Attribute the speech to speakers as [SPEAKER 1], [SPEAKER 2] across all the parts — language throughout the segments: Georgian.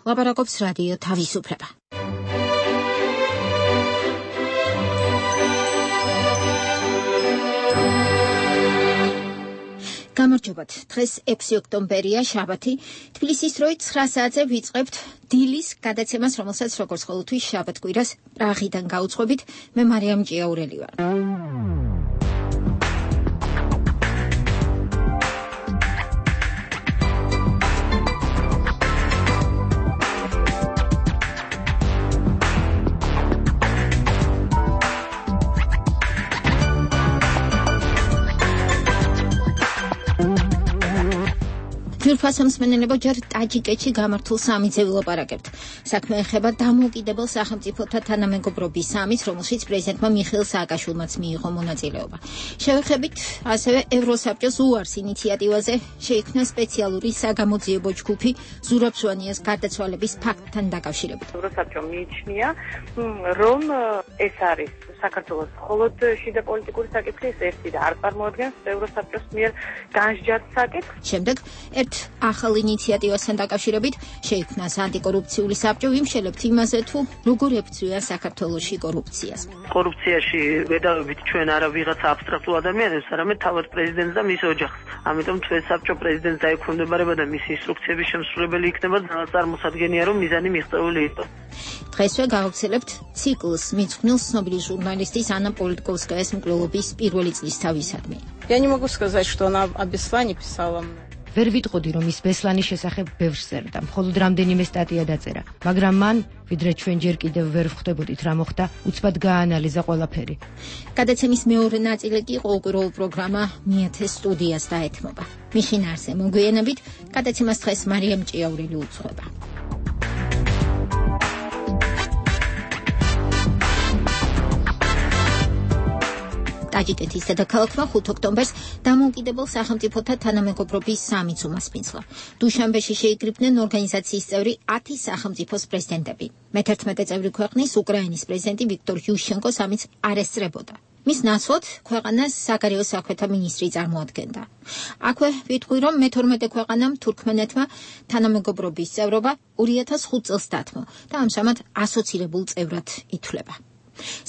[SPEAKER 1] ლაპარაკობს რადიო თავისუფლება. გამარჯობათ. დღეს 6 ოქტომბერია, შაბათი. თბილისის დროით 9 საათზე ვიწყებთ დილის გადაცემას, რომელსაც როგორც ყოველთვის შაბათ-კვირას პრაღიდან გაუძღვებით. მე მარიამ ჭიაურელი ვარ. ფასამსმენელებო, ჯერ ტაჯიკეთში გამართულ სამიტზე ვილაპარაკებთ. საქმე ეხება დამოუკიდებელ სახელმწიფოთა თანამეგობრობის სამიტს, რომელშიც პრეზიდენტმა მიხეილ სააკაშვილმაც მიიღო მონაწილეობა. შევეხებით ასევე ევროსაბჭოს უარს ინიციატივაზე შეიქმნა სპეციალური საგამოძიებო ჯგუფი ზურაბ სვანიას გარდაცვალების ფაქტთან დაკავშირებით.
[SPEAKER 2] ევროსაბჭომ მიიჩნია, რომ ეს არის საქართველოს მხოლოდ შიდა პოლიტიკური საკითხის ერთი და არ წარმოადგენს ევროსაბჭოს მიერ განსჯათ საკითხს.
[SPEAKER 1] შემდეგ ერთ ახალ ინიციატივასთან დაკავშირებით შეიქმნა ანტიკორუფციული საბჭო, ვიმშელებთ იმაზე, თუ როგორ ებრძვია საქართველოში კორუფციას.
[SPEAKER 3] კორუფციაში ვედავებით ჩვენ არა ვიღაცა აბსტრაქტულ ადამიანებს, არამედ თავად პრეზიდენტს და მის ოჯახს. ამიტომ ჩვენ საბჭო პრეზიდენტს დაექვემდებარება და მისი ინსტრუქციების შემსრულებელი იქნება, წარმოსადგენია, რომ მიზანი მიღწეული იყოს.
[SPEAKER 1] დღესვე გავაგრძელებთ ციკლს მიძღვნილ ცნობილი ჟურნალისტის ანა პოლიტკოვსკაიას მკვლელობის პირველი წლისთავისადმი.
[SPEAKER 4] Я не могу сказать, что она о Беслане писала.
[SPEAKER 5] ვერ ვიტყოდი, რომ ის ბესლანის შესახებ ბევრს წერდა, მხოლოდ რამდენიმე სტატია დაწერა, მაგრამ მან, ვიდრე ჩვენ ჯერ კიდევ ვერ ვხვდებოდით რა მოხდა, უცბად გააანალიზა ყველაფერი.
[SPEAKER 1] გადაცემის მეორე ნაწილი კი ყოველკვირეულ პროგრამა მიეთე სტუდიას დაეთმობა. მის შინაარსზე მოგვიანებით გადაცემას დღეს მარიამ ჭიაურელი უძღვება. ტაჯიკეთის დედაქალაქმა 5 ოქტომბერს დამოუკიდებელ სახელმწიფოთა თანამეგობრობის სამიტს უმასპინძლა. დუშანბეში შეიკრიბნენ ორგანიზაციის წევრი 10 სახელმწიფოს პრეზიდენტები. მე-11 წევრი ქვეყნის უკრაინის პრეზიდენტი ვიქტორ იუშენკო სამიტს არ ესწრებოდა. მის ნაცვლად ქვეყანას საგარეო საქმეთა მინისტრი წარმოადგენდა. აქვე ვიტყვი, რომ მე-12 ქვეყანამ თურქმენეთმა თანამეგობრობის წევრობა 2005 წელს დათმო და ამჟამად ასოცირებულ წევრად ითვლება.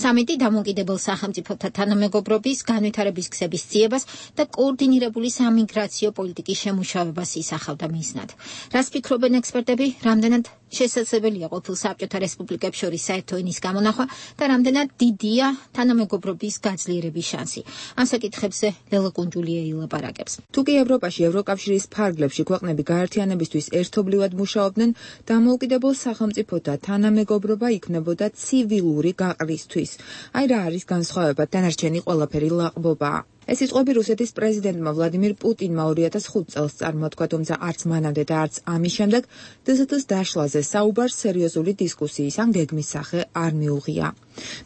[SPEAKER 1] სამიტი დამოუკიდებელ სახელმწიფოთა თანამეგობრობის განვითარების გზების ძიებას და კოორდინირებული სამიგრაციო პოლიტიკის შემუშავებას ისახავდა მიზნად. რას ფიქრობენ ექსპერტები, რამდენად შესაძლებელია ყოფილ საბჭოთა რესპუბლიკებს შორის საერთო ენის გამონახვა და რამდენად დიდია თანამეგობრობის გაძლიერების შანსი. ამ საკითხებზე ლელა კუნჯულია ილაპარაკებს.
[SPEAKER 6] თუკი ევროპაში ევროკავშირის ფარგლებში ქვეყნები გაერთიანებისთვის ერთობლივად მუშაობდნენ, დამოუკიდებელ სახელმწიფოთა თანამეგობრობა იქნებოდა ცივილური გაყრისთვის. აი რა არის განსხვავება, დანარჩენი ყველაფერი ლაყბობაა. ეს სიტყვები რუსეთის პრეზიდენტმა ვლადიმირ პუტინმა 2005 წელს წარმოთქვა, თუმცა არც მანამდე და არც ამის შემდეგ დსთ-ს დაშლაზე საუბარს სერიოზული დისკუსიის ან გეგმის სახე არ მიუღია.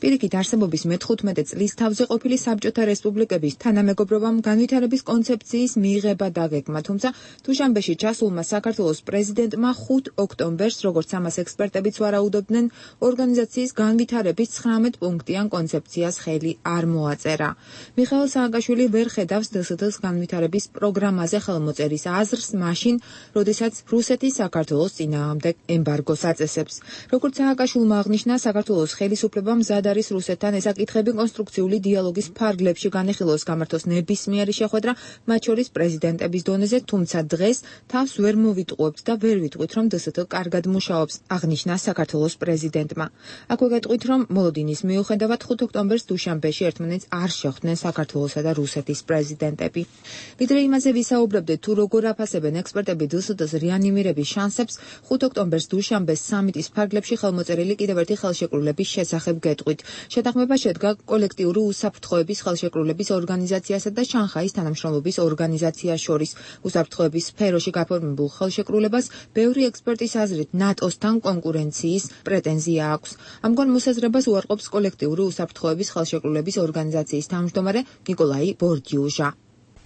[SPEAKER 6] პირიქით, არსებობის მე-15 წლის თავზე ყოფილი საბჭოთა რესპუბლიკების თანამეგობრობამ განვითარების კონცეფციის მიღება დაგეგმა, თუმცა დუშანბეში ჩასულმა საქართველოს პრეზიდენტმა 5 ოქტომბერს, როგორც ამას ექსპერტებიც ვარაუდობდნენ, ორგანიზაციის განვითარების 19 პუნქტიან კონცეფციას ხელი არ მოაწერა. მიხეილ სააკაშვილი ვერ ხედავს დსთ-ს განვითარების პროგრამაზე ხელმოწერის აზრს მაშინ, როდესაც რუსეთი საქართველოს წინააღმდეგ ემბარგოს აწესებს. როგორც სააკაშვილმა აღნიშნა, საქართველოს ხელისუფლებამ მზად არის რუსეთთან ეს საკითხები კონსტრუქციული დიალოგის ფარგლებში განეხილოს, გამართოს ნებისმიერი შეხვედრა, მათ შორის პრეზიდენტების დონეზე, თუმცა დღეს თავს ვერ მოვიტყუებთ და ვერ ვიტყვით, რომ დსთ კარგად მუშაობს, აღნიშნა საქართველოს პრეზიდენტმა. აქვე გეტყვით, რომ მოლოდინის მიუხედავად 5 ოქტომბერს დუშანბეში ერთმანეთს არ შეხვდნენ საქართველოსა და რუსეთის პრეზიდენტები. ვიდრე იმაზე ვისაუბრებდით, თუ როგორ აფასებენ ექსპერტები დსთ-ს რეანიმირების შანსებს, 5 ოქტომბერს დუშანბეს სამიტის ფარგლებში ხელმოწერილი კიდევ ერთი ხელშეკრულების შესახებ გეტყვით. შეთანხმება შედგა კოლექტიური უსაფრთხოების ხელშეკრულების ორგანიზაციასა და შანხაის თანამშრომლობის ორგანიზაციას შორის. უსაფრთხოების სფეროში გაფორმებულ ხელშეკრულებას ბევრი ექსპერტის აზრით ნატოსთან კონკურენციის პრეტენზია აქვს. ამგვარ მოსაზრებას უარყოფს კოლექტიური უსაფრთხოების ხელშეკრულების ორგანიზაციის თავმჯდომარე ნიკოლაი ბორდიუჟა.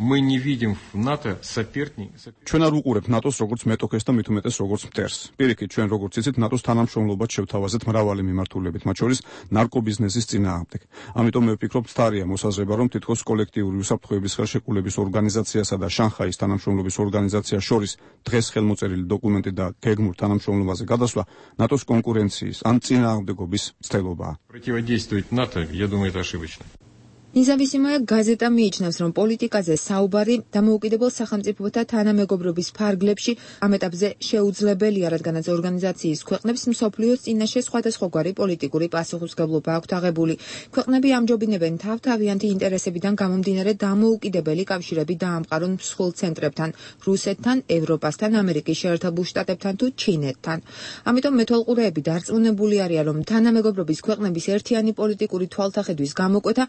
[SPEAKER 7] Мы не видим в НАТО соперника.
[SPEAKER 8] ჩვენ არ უყურებთ ნატოს როგორც მეტოქეს და მით უმეტეს როგორც მტერს. პირიქით, ჩვენ როგორც იცით, ნატოს თანამშრომლობას შევთავაზეთ მრავალი მიმართულებით, მათ შორის ნარკობიზნესის წინააღმდეგ. ამიტომ მე ვფიქრობ, თარია მოსაზრება, რომ თითქოს კოლექტიური უსაფრთხოების ხელშეკრულების ორგანიზაციასა და შანხაის თანამშრომლობის ორგანიზაციას შორის დღეს ხელმოწერილი დოკუმენტი და გეგმურ თანამშრომლობაზე გადასვლა ნატოს კონკურენციის ან წინააღმდეგობის ცდილობაა.
[SPEAKER 7] Противодействовать НАТО, я думаю, это ошибочно.
[SPEAKER 6] ნიზავისიმაია გაზეტა მიიჩნევს, რომ პოლიტიკაზე საუბარი დამოუკიდებელ სახელმწიფოთა თანამეგობრობის ფარგლებში ამ ეტაპზე შეუძლებელია, რადგანაც ორგანიზაციის ქვეყნებს მსოფლიოს წინაშე სხვადასხვაგვარი პოლიტიკური პასუხისმგებლობა აქვთ აღებული. ქვეყნები ამჯობინებენ თავთავიანთი ინტერესებიდან გამომდინარე დამოუკიდებელი კავშირები დაამყარონ მსხვილ ცენტრებთან, რუსეთთან, ევროპასთან, ამერიკის შეერთებულ შტატებთან თუ ჩინეთთან. ამიტომ მეთვალყურეები დარწმუნებული არიან, რომ თანამეგობრობის ქვეყნების ერთიანი პოლიტიკური თვალთახედვის გამოკვეთა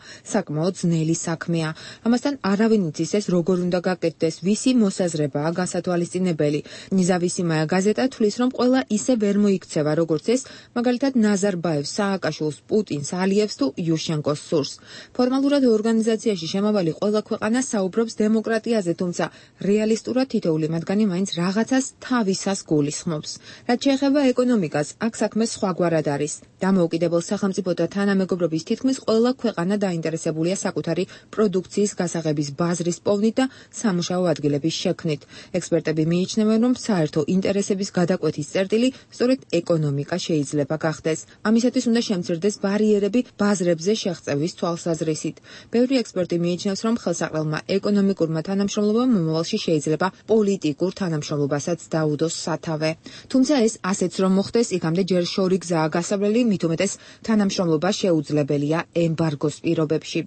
[SPEAKER 6] საკმაოდ ძნელი საქმეა. ამასთან არავინ იცის ეს როგორ უნდა გაკეთდეს, ვისი მოსაზრებაა გასათვალისწინებელი. ნიზავისიმაია გაზეტა თვლის, რომ ყველა ისე ვერ მოიქცევა, როგორც ეს, მაგალითად ნაზარბაევს, სააკაშვილს, პუტინს, ალიევს თუ იუშენკოს სურს. ფორმალურად ორგანიზაციაში შემავალი ყველა ქვეყანა საუბრობს დემოკრატიაზე, თუმცა რეალისტურად თითოეული მათგანი მაინც რაღაცას თავისას გულისხმობს. რაც შეეხება ეკონომიკას, აქ საქმე სხვაგვარად არის. დამოუკიდებელ სახელმწიფოთა თანამეგობრობის თითქმის ყველა ქვეყანა დაინტერესებულია საკუთარი პროდუქციის გასაღების ბაზრის პოვნით და სამუშაო ადგილების შექმნით. ექსპერტები მიიჩნევენ, რომ საერთო ინტერესების გადაკვეთის წერტილი სწორედ ეკონომიკა შეიძლება გახდეს. ამისათვის უნდა შემცირდეს ბარიერები ბაზრებზე შეღწევის თვალსაზრისით. ბევრი ექსპერტი მიიჩნევს, რომ ხელსაყრელმა ეკონომიკურმა თანამშრომლობამ მომავალში შეიძლება პოლიტიკურ თანამშრომლობასაც დაუდოს სათავე. თუმცა ეს ასეც რომ მოხდეს, იქამდე ჯერ შორი გზაა გასავლელი, მით უმეტეს თანამშრომლობა შეუძლებელია ემბარგოს პირობებში.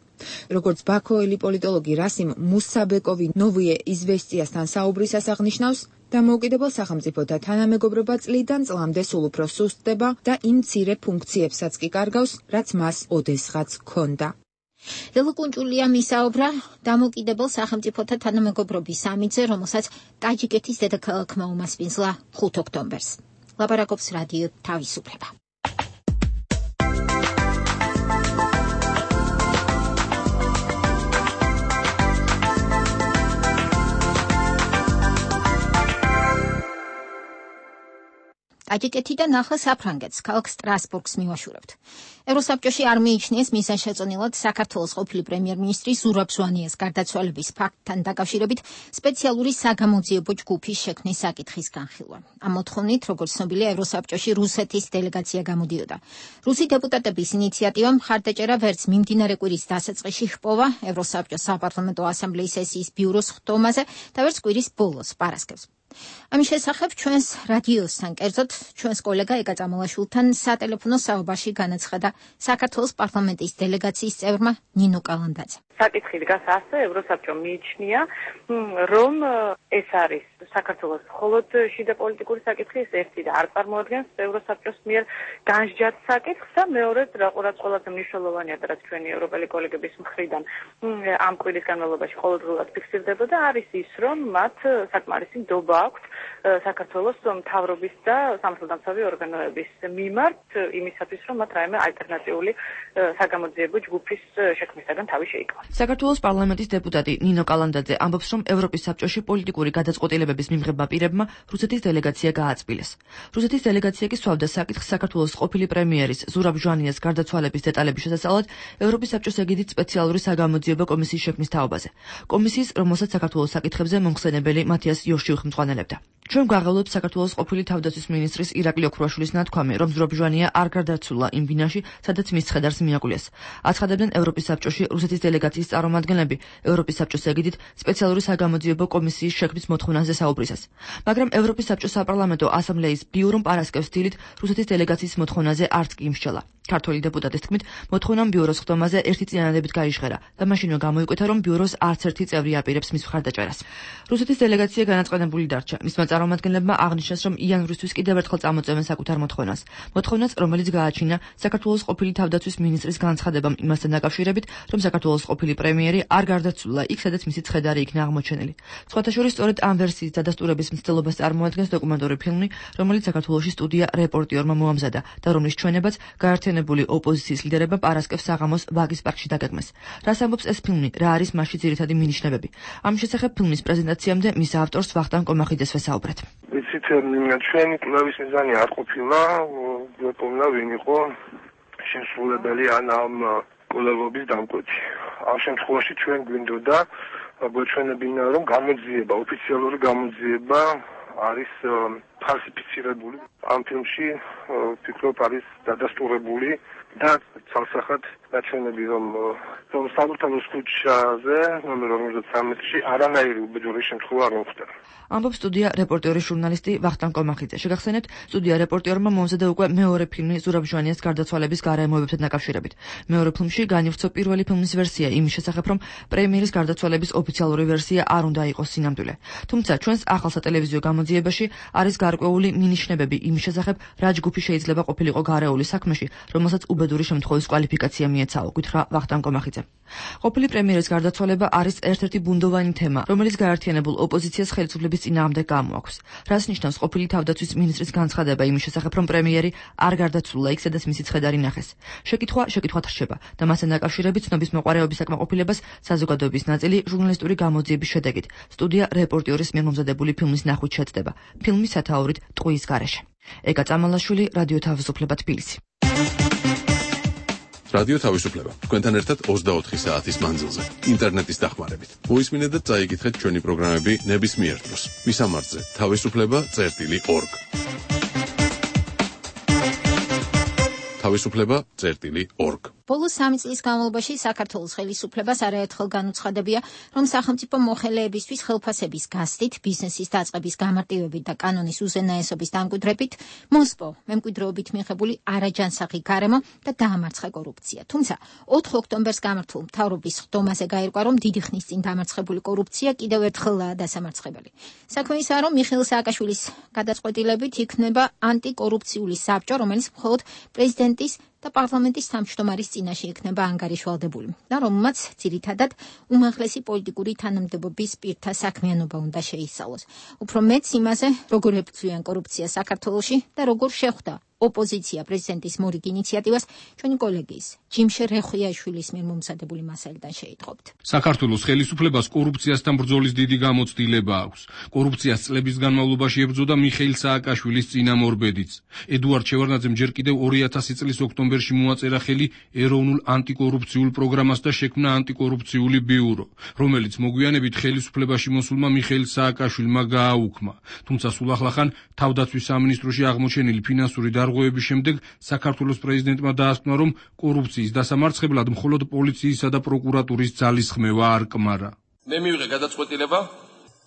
[SPEAKER 6] როგორც ბაქოელი პოლიტოლოგი რასიმ მუსაბეკოვი ნოვიე იზვესტიასთან საუბრისას აღნიშნავს, დამოუკიდებელ სახელმწიფოთა თანამეგობრობა წლიდან წლამდე სულ უფრო სუსტდება და იმ მცირე ფუნქციებსაც კი კარგავს, რაც მას ოდესღაც ჰქონდა.
[SPEAKER 1] ლელო კუნჭულიამ ისაუბრა დამოუკიდებელ სახელმწიფოთა თანამეგობრობის სამიტზე, რომელსაც ტაჯიკეთის დედაქალაქმა უმასპინძლა 5 ოქტომბერს. ლაპარაკობს რადიო თავისუფლება. ტაჯიკეთიდან ახლა საფრანგეთს, ქალაქ სტრასბურგს მივაშურებთ. ევროსაბჭოში არ მიიჩნიეს მიზანშეწონილად საქართველოს ყოფილი პრემიერ-მინისტრი ზურაბ ჟვანიას გარდაცვალების ფაქტთან დაკავშირებით სპეციალური საგამოძიებო ჯგუფის შექმნის საკითხის განხილვა. ამ მოთხოვნით, როგორც ცნობილია, ევროსაბჭოში რუსეთის დელეგაცია გამოდიოდა. რუსი დეპუტატების ინიციატივამ მხარდაჭერა ვერც მიმდინარე კვირის დასაწყისში ჰპოვა ევროსაბჭოს საპარლამენტო ასამბლეის სესიის ბიუროს ხტომაზე და ვერც კვირის ბოლოს პარასკევს. ამის შესახებ ჩვენს რადიოსთან, კერძოდ ჩვენს კოლეგა ეკა წამალაშვილთან სატელეფონო საუბარში განაცხადა საქართველოს პარლამენტის დელეგაციის წევრმა ნინო კალანდაძე.
[SPEAKER 2] საკითხი დგას ასე, ევროსაბჭომ მიიჩნია, რომ ეს არის საქართველოს მხოლოდ შიდა პოლიტიკური საკითხი, ეს ერთი და არ წარმოადგენს ევროსაბჭოს მიერ განსჯათ საკითხს და მეორედ, რაც ყველაზე მნიშვნელოვანია და რაც ჩვენი ევროპელი კოლეგების მხრიდან ამ კვირის განმავლობაში ყოველდღიურად ფიქსირდებოდა, არის ის, რომ მათ საკმარისი ნდობა აქვთ საქართველოს მთავრობის და სამართალდამცავი ორგანოების მიმართ იმისათვის, რომ მათ რაიმე ალტერნატიული საგამოძიებო ჯგუფის შექმნისაგან თავი შეიკავონ.
[SPEAKER 9] საქართველოს პარლამენტის დეპუტატი ნინო კალანდაძე ამბობს, რომ ევროპის საბჭოში პოლიტიკური გადაწყვეტილებების მიმღებმა პირებმა რუსეთის დელეგაცია გააწმილეს. რუსეთის დელეგაცია კი სვავდა საკითხს საქართველოს ყოფილი პრემიერის ზურაბ ჟვანიას გარდაცვალების დეტალების შესასწავლად ევროპის საბჭოს ეგიდით სპეციალური საგამოძიებო კომისიის შექმნის თაობაზე. კომისიის, რომელსაც საქართველოს საკითხებზე მომხსენებელი მათიას იოში უხმწვანელებდა. ჩვენ გვაღელვებთ საქართველოს ყოფილი თავდაცვის მინისტრის ირაკლი ოქრუაშვილის ნათქვამი, რომ ზურაბ ჟვანია არ გარდაცვლა იმ ბინაში, სადაც მის ცხედარს მიაკვლეს. აცხადებდნენ ევროპის საბჭოში რუსეთის დელეგაციის წარმომადგენლები ევროპის საბჭოს ეგიდით სპეციალური საგამოძიებო კომისიის შექმნის მოთხოვნაზე საუბრისას. მაგრამ ევროპის საბჭოს საპარლამენტო ასამბლეის ბიურომ პარასკევს დილით რუსეთის დელეგაციის მოთხოვნაზე არც კი იმსჯელა. ქართველი დეპუტატის თქმით, მოთხოვნამ ბიუროს ხტომაზე ერთი წინადადებით გაიჟღერა და მაშინვე გამოიკვეთა, რომ ბიუროს არც ერთი წევრი აპირებს მის მხარდაჭერას. რუსეთის დელეგაცია განაწყენებული დარჩა. მისმა წარმომადგენლებმა აღნიშნეს, რომ იანვრისთვის კიდევ ერთხელ წამოწევენ საკუთარ მოთხოვნას. მოთხოვნას, რომელიც გააჩინა საქართველოს ყოფილი თავდაცვის მინისტრის განცხადებამ იმასთან დაკავშირებით, რომ საქართველოს ყოფილი პრემიერი არ გარდაცვლილა იქ, სადაც მისი ცხედარი იქნა აღმოჩენილი. სხვათა შორის სწორედ ამ ვერსიის დადასტურების მცდელობას წარმოადგენს დოკუმენტური ფილმი, რომელიც საქართველოში სტუდია რეპორტიორმა მოამზადა და რომლის ჩვენებაც გაერთიანებული გაღიზიანებული ოპოზიციის ლიდერებმა პარასკევს საღამოს ვაგის პარკში დაგეგმეს. რას ამბობს ეს ფილმი, რა არის მასში ძირითადი მინიშნებები? ამ შესახებ ფილმის პრეზენტაციამდე მის ავტორს ვახტანგ კომახიძეს ვესაუბრეთ.
[SPEAKER 10] ვიცით, ჩვენი კვლევის მიზანი არ ყოფილა გვეპოვნა ვინ იყო შემსრულებელი ამ კვლევების დამკვეთი. ამ შემთხვევაში ჩვენ გვინდოდა გვეჩვენებინა, რომ გამოძიება, ოფიციალური გამოძიება არის ფალსიფიცირებული. ამ ფილმში ვფიქრობ არის დადასტურებული და ცალსახად დაჩვენები, რომ საბურთალოს ქუჩაზე ნომერ 53-ში არანაირი უბედური შემთხვევა არ მოხდა.
[SPEAKER 9] ამბობს სტუდია რეპორტიორის ჟურნალისტი ვახტანგ კომახიძე. შეგახსენებთ, სტუდია რეპორტიორმა მომზადა უკვე მეორე ფილმი ზურაბ ჟვანიას გარდაცვალების გარემოებებთან დაკავშირებით. მეორე ფილმში განივცო პირველი ფილმის ვერსია იმის შესახებ, რომ პრემიერის გარდაცვალების ოფიციალური ვერსია არ უნდა იყოს სინამდვილე. თუმცა ჩვენს ახალ სატელევიზიო გამოძიებაში არის გარკვეული მინიშნებები იმის შესახებ, რა ჯგუფი შეიძლება ყოფილიყო გარეული საქმეში, რომელსაც უბედური შემთხვევის კვალიფიკაცია მიეცაო, გითხრა ვახტანგ კომახიძე. ყოფილი პრემიერის გარდაცვალება არის ერთ-ერთი ბუნდოვანი თემა, რომელიც გაერთიანებულ ოპოზიციას ხელისუფლების წინააღმდეგ გამოაქვს. რას ნიშნავს ყოფილი თავდაცვის მინისტრის განცხადება იმის შესახებ, რომ პრემიერი არ გარდაცვლილა იქ, სადაც მისი ცხედარი ნახეს? შეკითხვათ რჩება და მასთან დაკავშირებით ცნობის მოყარეობის საკმაყოფილებას საზოგადოების ნაწილი ჟურნალისტური გამოძიების შედეგით სტუდია რეპორტიორის მიერ მომზადებული ფილმის ნახვით შეწდება. ფილმის სათაურით ტყუის გარეშე. ეკა წამალაშვილი, რადიო თავისუფლება, თბილისი.
[SPEAKER 11] რადიო თავისუფლება. თქვენთან ერთად 24 საათის მანძილზე. ინტერნეტის დახმარებით. მოისმინეთ და წაიკითხეთ ჩვენი პროგრამები ნებისმიერ დროს. მისამართზე თავისუფლება.org. თავისუფლება.org.
[SPEAKER 1] ბოლო 3 წლის განმავლობაში საქართველოს ხელისუფლებას არაერთხელ განუცხადებია, რომ სახელმწიფო მოხელეებისთვის ხელფასების გასდით, ბიზნესის დაწყების გამარტივებით და კანონის უზენაესობის დამკვიდრებით მოსპო მემკვიდრეობით მიღებული არაჯანსაღი გარემო და დაამარცხა კორუფცია. თუმცა 4 ოქტომბერს გამართულ მთავრობის ხდომაზე გაირკვა, რომ დიდი ხნის წინ დამარცხებული კორუფცია კიდევ ერთხელაა დასამარცხებელი. საქმე ისაა, რომ მიხეილ სააკაშვილის გადაწყვეტილებით იქნება ანტიკორუფციული საბჭო, რომელიც მხოლოდ პრეზიდენტის და პარლამენტის თავმჯდომარის წინაშე იქნება ანგარიშვალდებული და რომელმაც ძირითადად უმაღლესი პოლიტიკური თანამდებობის პირთა საქმიანობა უნდა შეისწავლოს. უფრო მეც იმაზე, როგორ ებრძვიან კორუფციას საქართველოში და როგორ შეხვდა ოპოზიცია პრეზიდენტის მორიგ ინიციატივას ჩვენი კოლეგის ჯიმშე რეხვიაშვილის მიერ მომზადებული მასალიდან შეიტყობთ.
[SPEAKER 12] საქართველოს ხელისუფლებას კორუფციასთან ბრძოლის დიდი გამოცდილება აქვს. კორუფციას წლების განმავლობაში ებრძოდა მიხეილ სააკაშვილის წინამორბედიც. ედუარდ შევარდნაძემ ჯერ კიდევ 2000 წლის ოქტომბერში მოაწერა ხელი ეროვნულ ანტიკორუფციულ პროგრამას და შექმნა ანტიკორუფციული ბიურო, რომელიც მოგვიანებით ხელისუფლებაში მოსულმა მიხეილ სააკაშვილმა გააუქმა. თუმცა სულ ახლახან თავდაცვის სამინისტროში აღმოჩენილი ფინანსური დარღვევების შემდეგ საქართველოს პრეზიდენტმა დაასკვნა, რომ კორუფციის დასამარცხებლად მხოლოდ პოლიციისა და პროკურატურის ძალისხმევა არ კმარა.
[SPEAKER 13] მე მივიღე გადაწყვეტილება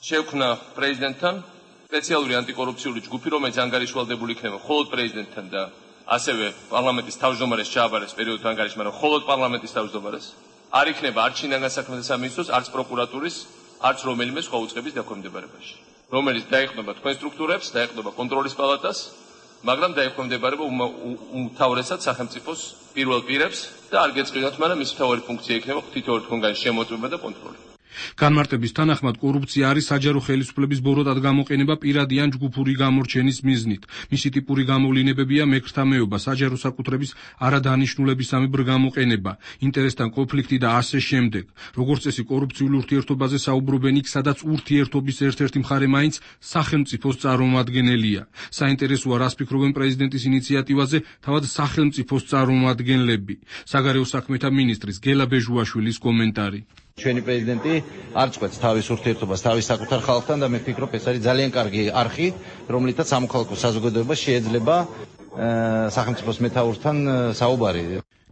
[SPEAKER 13] შევქმნა პრეზიდენტთან სპეციალური ანტიკორუფციული ჯგუფი, რომელიც ანგარიშვალდებული იქნება მხოლოდ პრეზიდენტთან და ასევე პარლამენტის თავმჯდომარეს ჩააბარეს პერიოდულ ანგარიშს, მაგრამ მხოლოდ პარლამენტის თავმჯდომარეს. არ იქნება არც შინაგან საქმეთა სამინისტროს, არც პროკურატურის, არც რომელიმე სხვა უწყების დაქვემდებარებაში, რომელიც დაეხმება თქვენ სტრუქტურებს, დაეხმება კონტროლის პალატას, მაგრამ დაექვემდებარება უმთავრესად სახელმწიფოს პირველ პირებს და არ გეწყინოთ, მაგრამ მის მთავარი ფუნქცია იქნება თითოეულ თქვენგან შემოწმება და კონტროლი.
[SPEAKER 12] განმარტების თანახმად კორუფცია არის საჯარო ხელისუფლების ბოროტად გამოყენება პირადი ან ჯგუფური გამორჩენის მიზნით. მისი ტიპური გამოვლინებებია მექრთამეობა, საჯარო საკუთრების არადანიშნულებისამებრ გამოყენება, ინტერესთან კონფლიქტი და ასე შემდეგ. როგორც წესი კორუფციულ ურთიერთობაზე საუბრობენ იქ, სადაც ურთიერთობის ერთ-ერთი მხარე მაინც სახელმწიფოს წარმომადგენელია. საინტერესოა, რას ფიქრობენ პრეზიდენტის ინიციატივაზე თავად სახელმწიფოს წარმომადგენლები. საგარეო საქმეთა მინისტრის გელა ბეჟუაშვილის კომენტარი.
[SPEAKER 14] ჩვენი პრეზიდენტი არ წყვეტს თავის ურთიერთობას თავის საკუთარ ხალხთან და მე ვფიქრობ, ეს არის ძალიან კარგი არხი, რომლითაც სამოქალაქო საზოგადოება შეიძლება სახელმწიფოს მეთაურთან საუბარი.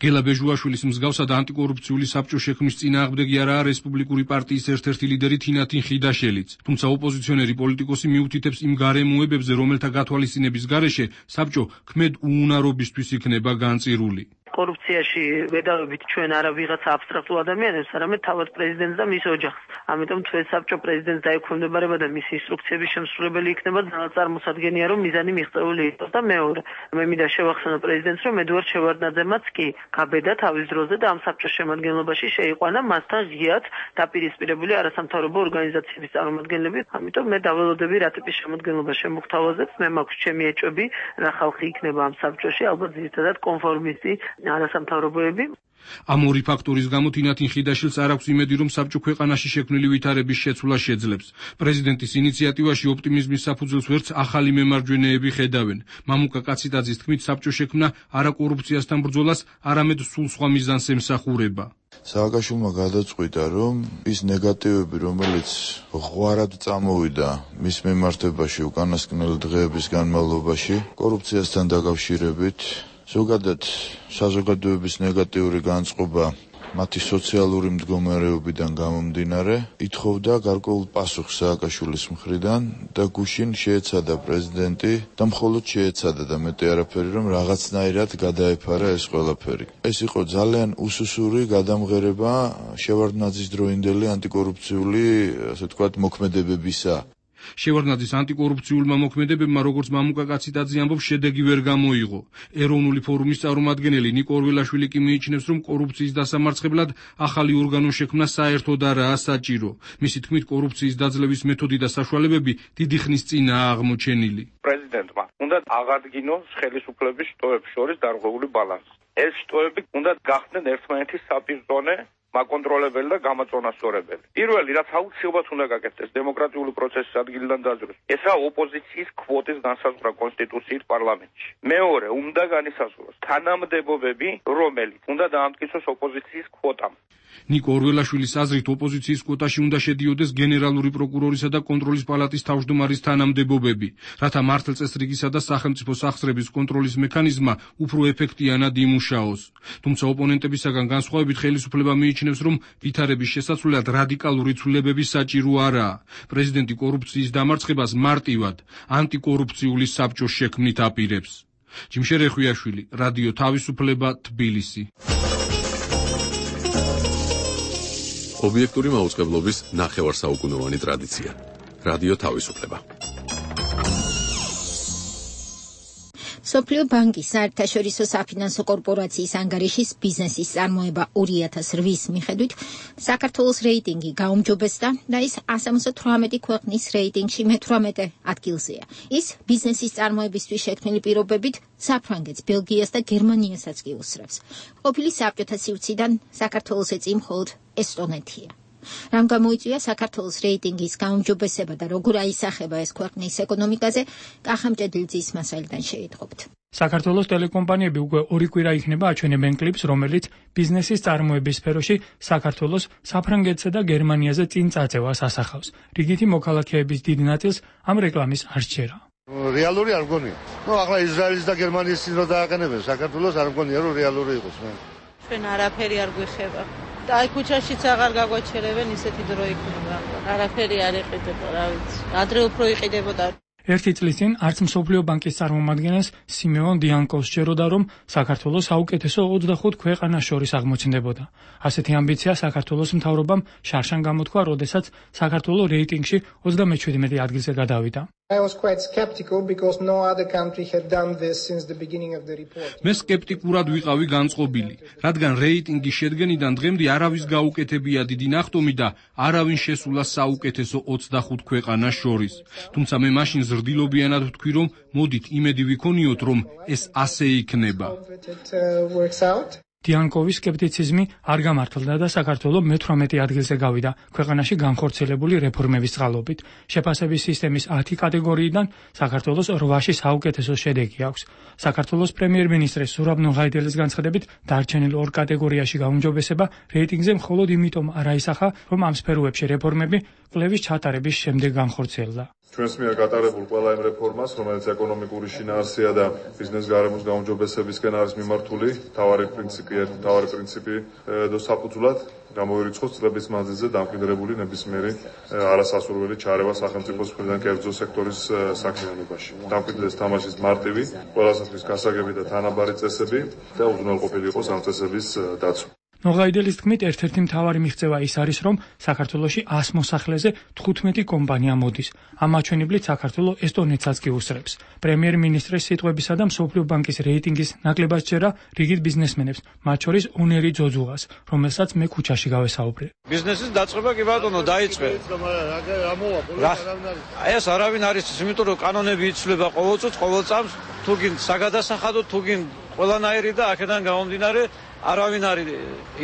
[SPEAKER 12] გელა ბეჟუაშვილის მსგავსად ანტიკორუფციული საბჭოს შექმნის წინააღმდეგი არაა რესპუბლიკური პარტიის ერთ-ერთი ლიდერი თინათინ ხიდაშელიც. თუმცა ოპოზიციონერი პოლიტიკოსი მიუთითებს იმ გარემოებებზე, რომელთა გათვალისწინების გარეშე საბჭო ქმედ უუნარობისთვის იქნება განწირული.
[SPEAKER 3] კორუფციაში ვედავებით ჩვენ არა ვიღაცა აბსტრაქტულ ადამიანებს, არამედ თავად პრეზიდენტს და მის ოჯახს. ამიტომ ჩვენ საბჭო პრეზიდენტს დაექვემდებარება და მისი ინსტრუქციების შემსრულებელი იქნება ძალადწარმოსადგენია, რომ მიზანი მიღწეული იყოს და მეორე, მე მინდა შევახსენო პრეზიდენტს, რომ ედუარდ შევარდნაძემაც კი გაბედა თავის დროზე და ამ საბჭოს შემადგენლობაში შეიყვანა მასთან ღიად დაპირისპირებული არასამთავრობო ორგანიზაციების წარმომადგენლები. ამიტომ მე დაველოდები რა ტიპის შემადგენლობა შემოგთავაზებს, მე მაქვს ჩემი ეჭვები, რა ხალხი იქნება ამ საბჭოში, ალბათ ძირითადად კონფორმისტი არასამთავრობოები.
[SPEAKER 12] ამ ორი ფაქტორის გამო თინათინ ხიდაშვილს არ აქვს იმედი, რომ საბჭო ქვეყანაში შექმნილი ვითარების შეცვლა შეძლებს. პრეზიდენტის ინიციატივაში ოპტიმიზმის საფუძველს ვერც ახალი მემარჯვენეები ხედავენ. მამუკა კაციტაძის თქმით, საბჭო შექმნა არა კორუფციასთან ბრძოლას, არამედ სულ სხვა მიზანს ემსახურება.
[SPEAKER 15] სააკაშვილმა გადაწყვიტა, რომ ის ნეგატივები, რომელიც ღვარად წამოვიდა მის მიმართებაში უკანასკნელი დღეების განმავლობაში, კორუფციასთან დაკავშირებით, ზოგადად საზოგადოების ნეგატიური განწყობა მათი სოციალური მდგომარეობიდან გამომდინარე, ითხოვდა გარკვეულ პასუხს სააკაშვილის მხრიდან და გუშინ შეეცადა პრეზიდენტი და მხოლოდ შეეცადა და მეტი არაფერი, რომ რაღაცნაირად გადაეფარა ეს ყველაფერი. ეს იყო ძალიან უსუსური გადამღერება შევარდნაძის დროინდელი ანტიკორუფციული, ასე ვთქვათ, მოქმედებებისა.
[SPEAKER 12] შევარდნაძის ანტიკორუფციულმა მოქმედებებმა, როგორც მამუკა კაციტაძე ამბობს, შედეგი ვერ გამოიღო. ეროვნული ფორუმის წარმომადგენელი ნიკო ორველაშვილი კი მიიჩნევს, რომ კორუფციის დასამარცხებლად ახალი ორგანო შექმნა საერთოდ არაა საჭირო. მისი თქმით, კორუფციის დაძლევის მეთოდი და საშუალებები დიდი ხნის წინაა აღმოჩენილი.
[SPEAKER 16] პრეზიდენტმა უნდა აღადგინოს ხელისუფლების შტოებს შორის დარღვეული ბალანსი. ეს შტოები უნდა გახდნენ ერთმანეთის საპირწონე, მაკონტროლებელი და გამაწონასწორებელი. პირველი, რაც აუცილებლად უნდა გაკეთდეს დემოკრატიული პროცესის ადგილიდან დაძროს, ესაა ოპოზიციის კვოტის განსაზღვრა კონსტიტუციით პარლამენტში. მეორე, უნდა განისაზღვროს თანამდებობები, რომელიც უნდა დაამტკიცოს ოპოზიციის კვოტამ.
[SPEAKER 12] ნიკო ორველაშვილის აზრით, ოპოზიციის კვოტაში უნდა შედიოდეს გენერალური პროკურორისა და კონტროლის პალატის თავმჯდომარის თანამდებობები, რათა მართლწესრიგისა და სახელმწიფო სახსრების კონტროლის მექანიზმა უფრო ეფექტიანად იმუშაოს. თუმცა ოპონენტებისაგან განსხვავებით ხელისუფლება მიიჩნევს, რომ ვითარების შესაცვლელად რადიკალური ცვლილებები საჭირო არაა. პრეზიდენტი კორუფციის დამარცხებას მარტივად ანტიკორუფციული საბჭოს შექმნით აპირებს. ჯიმშე რეხვიაშვილი, რადიო თავისუფლება, თბილისი.
[SPEAKER 11] ობიექტური მაუწყებლობის ნახევარსაუკუნოვანი ტრადიცია. რადიო თავისუფლება.
[SPEAKER 1] სოფლიო ბანკის საერთაშორისო საფინანსო კორპორაციის ანგარიშის ბიზნესის წარმოება 2008-ის მიხედვით საქართველოს რეიტინგი გაუმჯობესდა და ის 178 ქვეყნის რეიტინგში მე-18 ადგილზეა. ის ბიზნესის წარმოებისთვის შექმნილი პირობებით საფრანგეთს, ბელგიას და გერმანიასაც კი უსწრებს. ყოფილი საბჭოთა სივრციდან საქართველოს ეწინ მხოლოდ ესტონეთია. რამ გამოიწვია საქართველოს რეიტინგის გაუმჯობესება და როგორ აისახება ეს ქვეყნის ეკონომიკაზე, კახამჭედლიძის მასალიდან შეიტყობთ.
[SPEAKER 17] საქართველოს ტელეკომპანიები უკვე 2 კვირა იქნება აჩვენებენ კლიპს, რომელიც ბიზნესის წარმოების სფეროში საქართველოს საფრანგეთსა და გერმანიაზე წინ წაწევას ასახავს. რიგითი მოქალაქეების დიდ ნაწილს ამ რეკლამის არ სჯერა.
[SPEAKER 18] რეალური არ მგონია. ახლა ისრაელის და გერმანიის წინ რო დააყენებენ საქართველოს, არ მგონია რომ რეალური იყოს.
[SPEAKER 4] ჩვენ არაფერი არ გვიხება. და აი ქუჩაშიც აღარ გაგვაჩერებენ, ისეთი დრო იქნება. არაფერი არ იყიდება, რა ვიცი. ადრე უფრო იყიდებოდა.
[SPEAKER 17] ერთი წლის წინ არც მსოფლიო ბანკის წარმომადგენელს სიმეონ დიანკოვს სჯეროდა, რომ საქართველოს საუკეთესო 25 ქვეყანას შორის აღმოცენდებოდა. ასეთი ამბიცია საქართველოს მთავრობამ შარშან გამოთქვა, როდესაც საქართველოს რეიტინგში 37 ადგილზე გადავიდა.
[SPEAKER 19] I was quite skeptical because no other country had done this since the beginning of the report.
[SPEAKER 12] მე სკეპტიკურად ვიყავი განწყობილი, რადგან რეიტინგის შედგენიდან დღემდე არავის გაუკეთებია დიდი ნახტომი და არავინ შესულა საუკეთესო 25 ქვეყანას შორის. თუმცა მე მაშინ ზრდილობიანად ვთქვი, რომ მოდით იმედი ვიქონიოთ, რომ ეს ასე იქნება. დიანკოვის სკეპტიციზმი არ გამართლდა და საქართველოს მე-18 ადგილზე გავიდა ქვეყანაში განხორციელებული რეფორმების წყალობით. შეფასების სისტემის 10 კატეგორიიდან საქართველოს 8-ში საუკეთესო შედეგი აქვს. საქართველოს პრემიერ-მინისტრის ზურაბ ნუღაიდელის განცხადებით, დარჩენილ 2 კატეგორიაში გაუმჯობესება რეიტინგზე მხოლოდ იმიტომ არ აისახა, რომ ამ სფეროებში რეფორმები კვლევის ჩატარების შემდეგ განხორციელდა.
[SPEAKER 20] ჩვენს მიერ გატარებულ ყველა იმ რეფორმას, რომელიც ეკონომიკური შინაარსია და ბიზნეს გარემოს გაუმჯობესებისკენ არის მიმართული, მთავარი პრინციპი საფუძვლად გამოირიცხოს წლების მანძილზე დამკვიდრებული ნებისმიერი არასასურველი ჩარევა სახელმწიფოს მხრიდან კერძო სექტორის საქმიანობაში. დამკვიდრდეს თამაშის მარტივი, ყველასათვის გასაგები და თანაბარი წესები და უზრუნველყოფილი იყოს ამ წესების დაცვა.
[SPEAKER 17] ნოღაიდელის თქმით, ერთ-ერთი მთავარი მიღწევა ის არის, რომ საქართველოში 100 მოსახლეზე 15 კომპანია მოდის. ამ მაჩვენებლით საქართველო ესტონეთსაც კი უსწრებს. პრემიერ-მინისტრის სიტყვებისა და მსოფლიო ბანკის რეიტინგის ნაკლებად სჯერა რიგით ბიზნესმენებს, მათ შორის უნერი ძოძუღას, რომელსაც მე ქუჩაში გავესაუბრე.
[SPEAKER 21] ბიზნესის დაწყება კი ბატონო დაიწყე. აი ეს არავინ არის, იმიტომ რომ კანონები იცვლება ყოველ წუთს, ყოველ წამს, თუ გინ საგადასახადო, თუ გინ ყველანაირი და აქედან გამომდინარე არავინ არის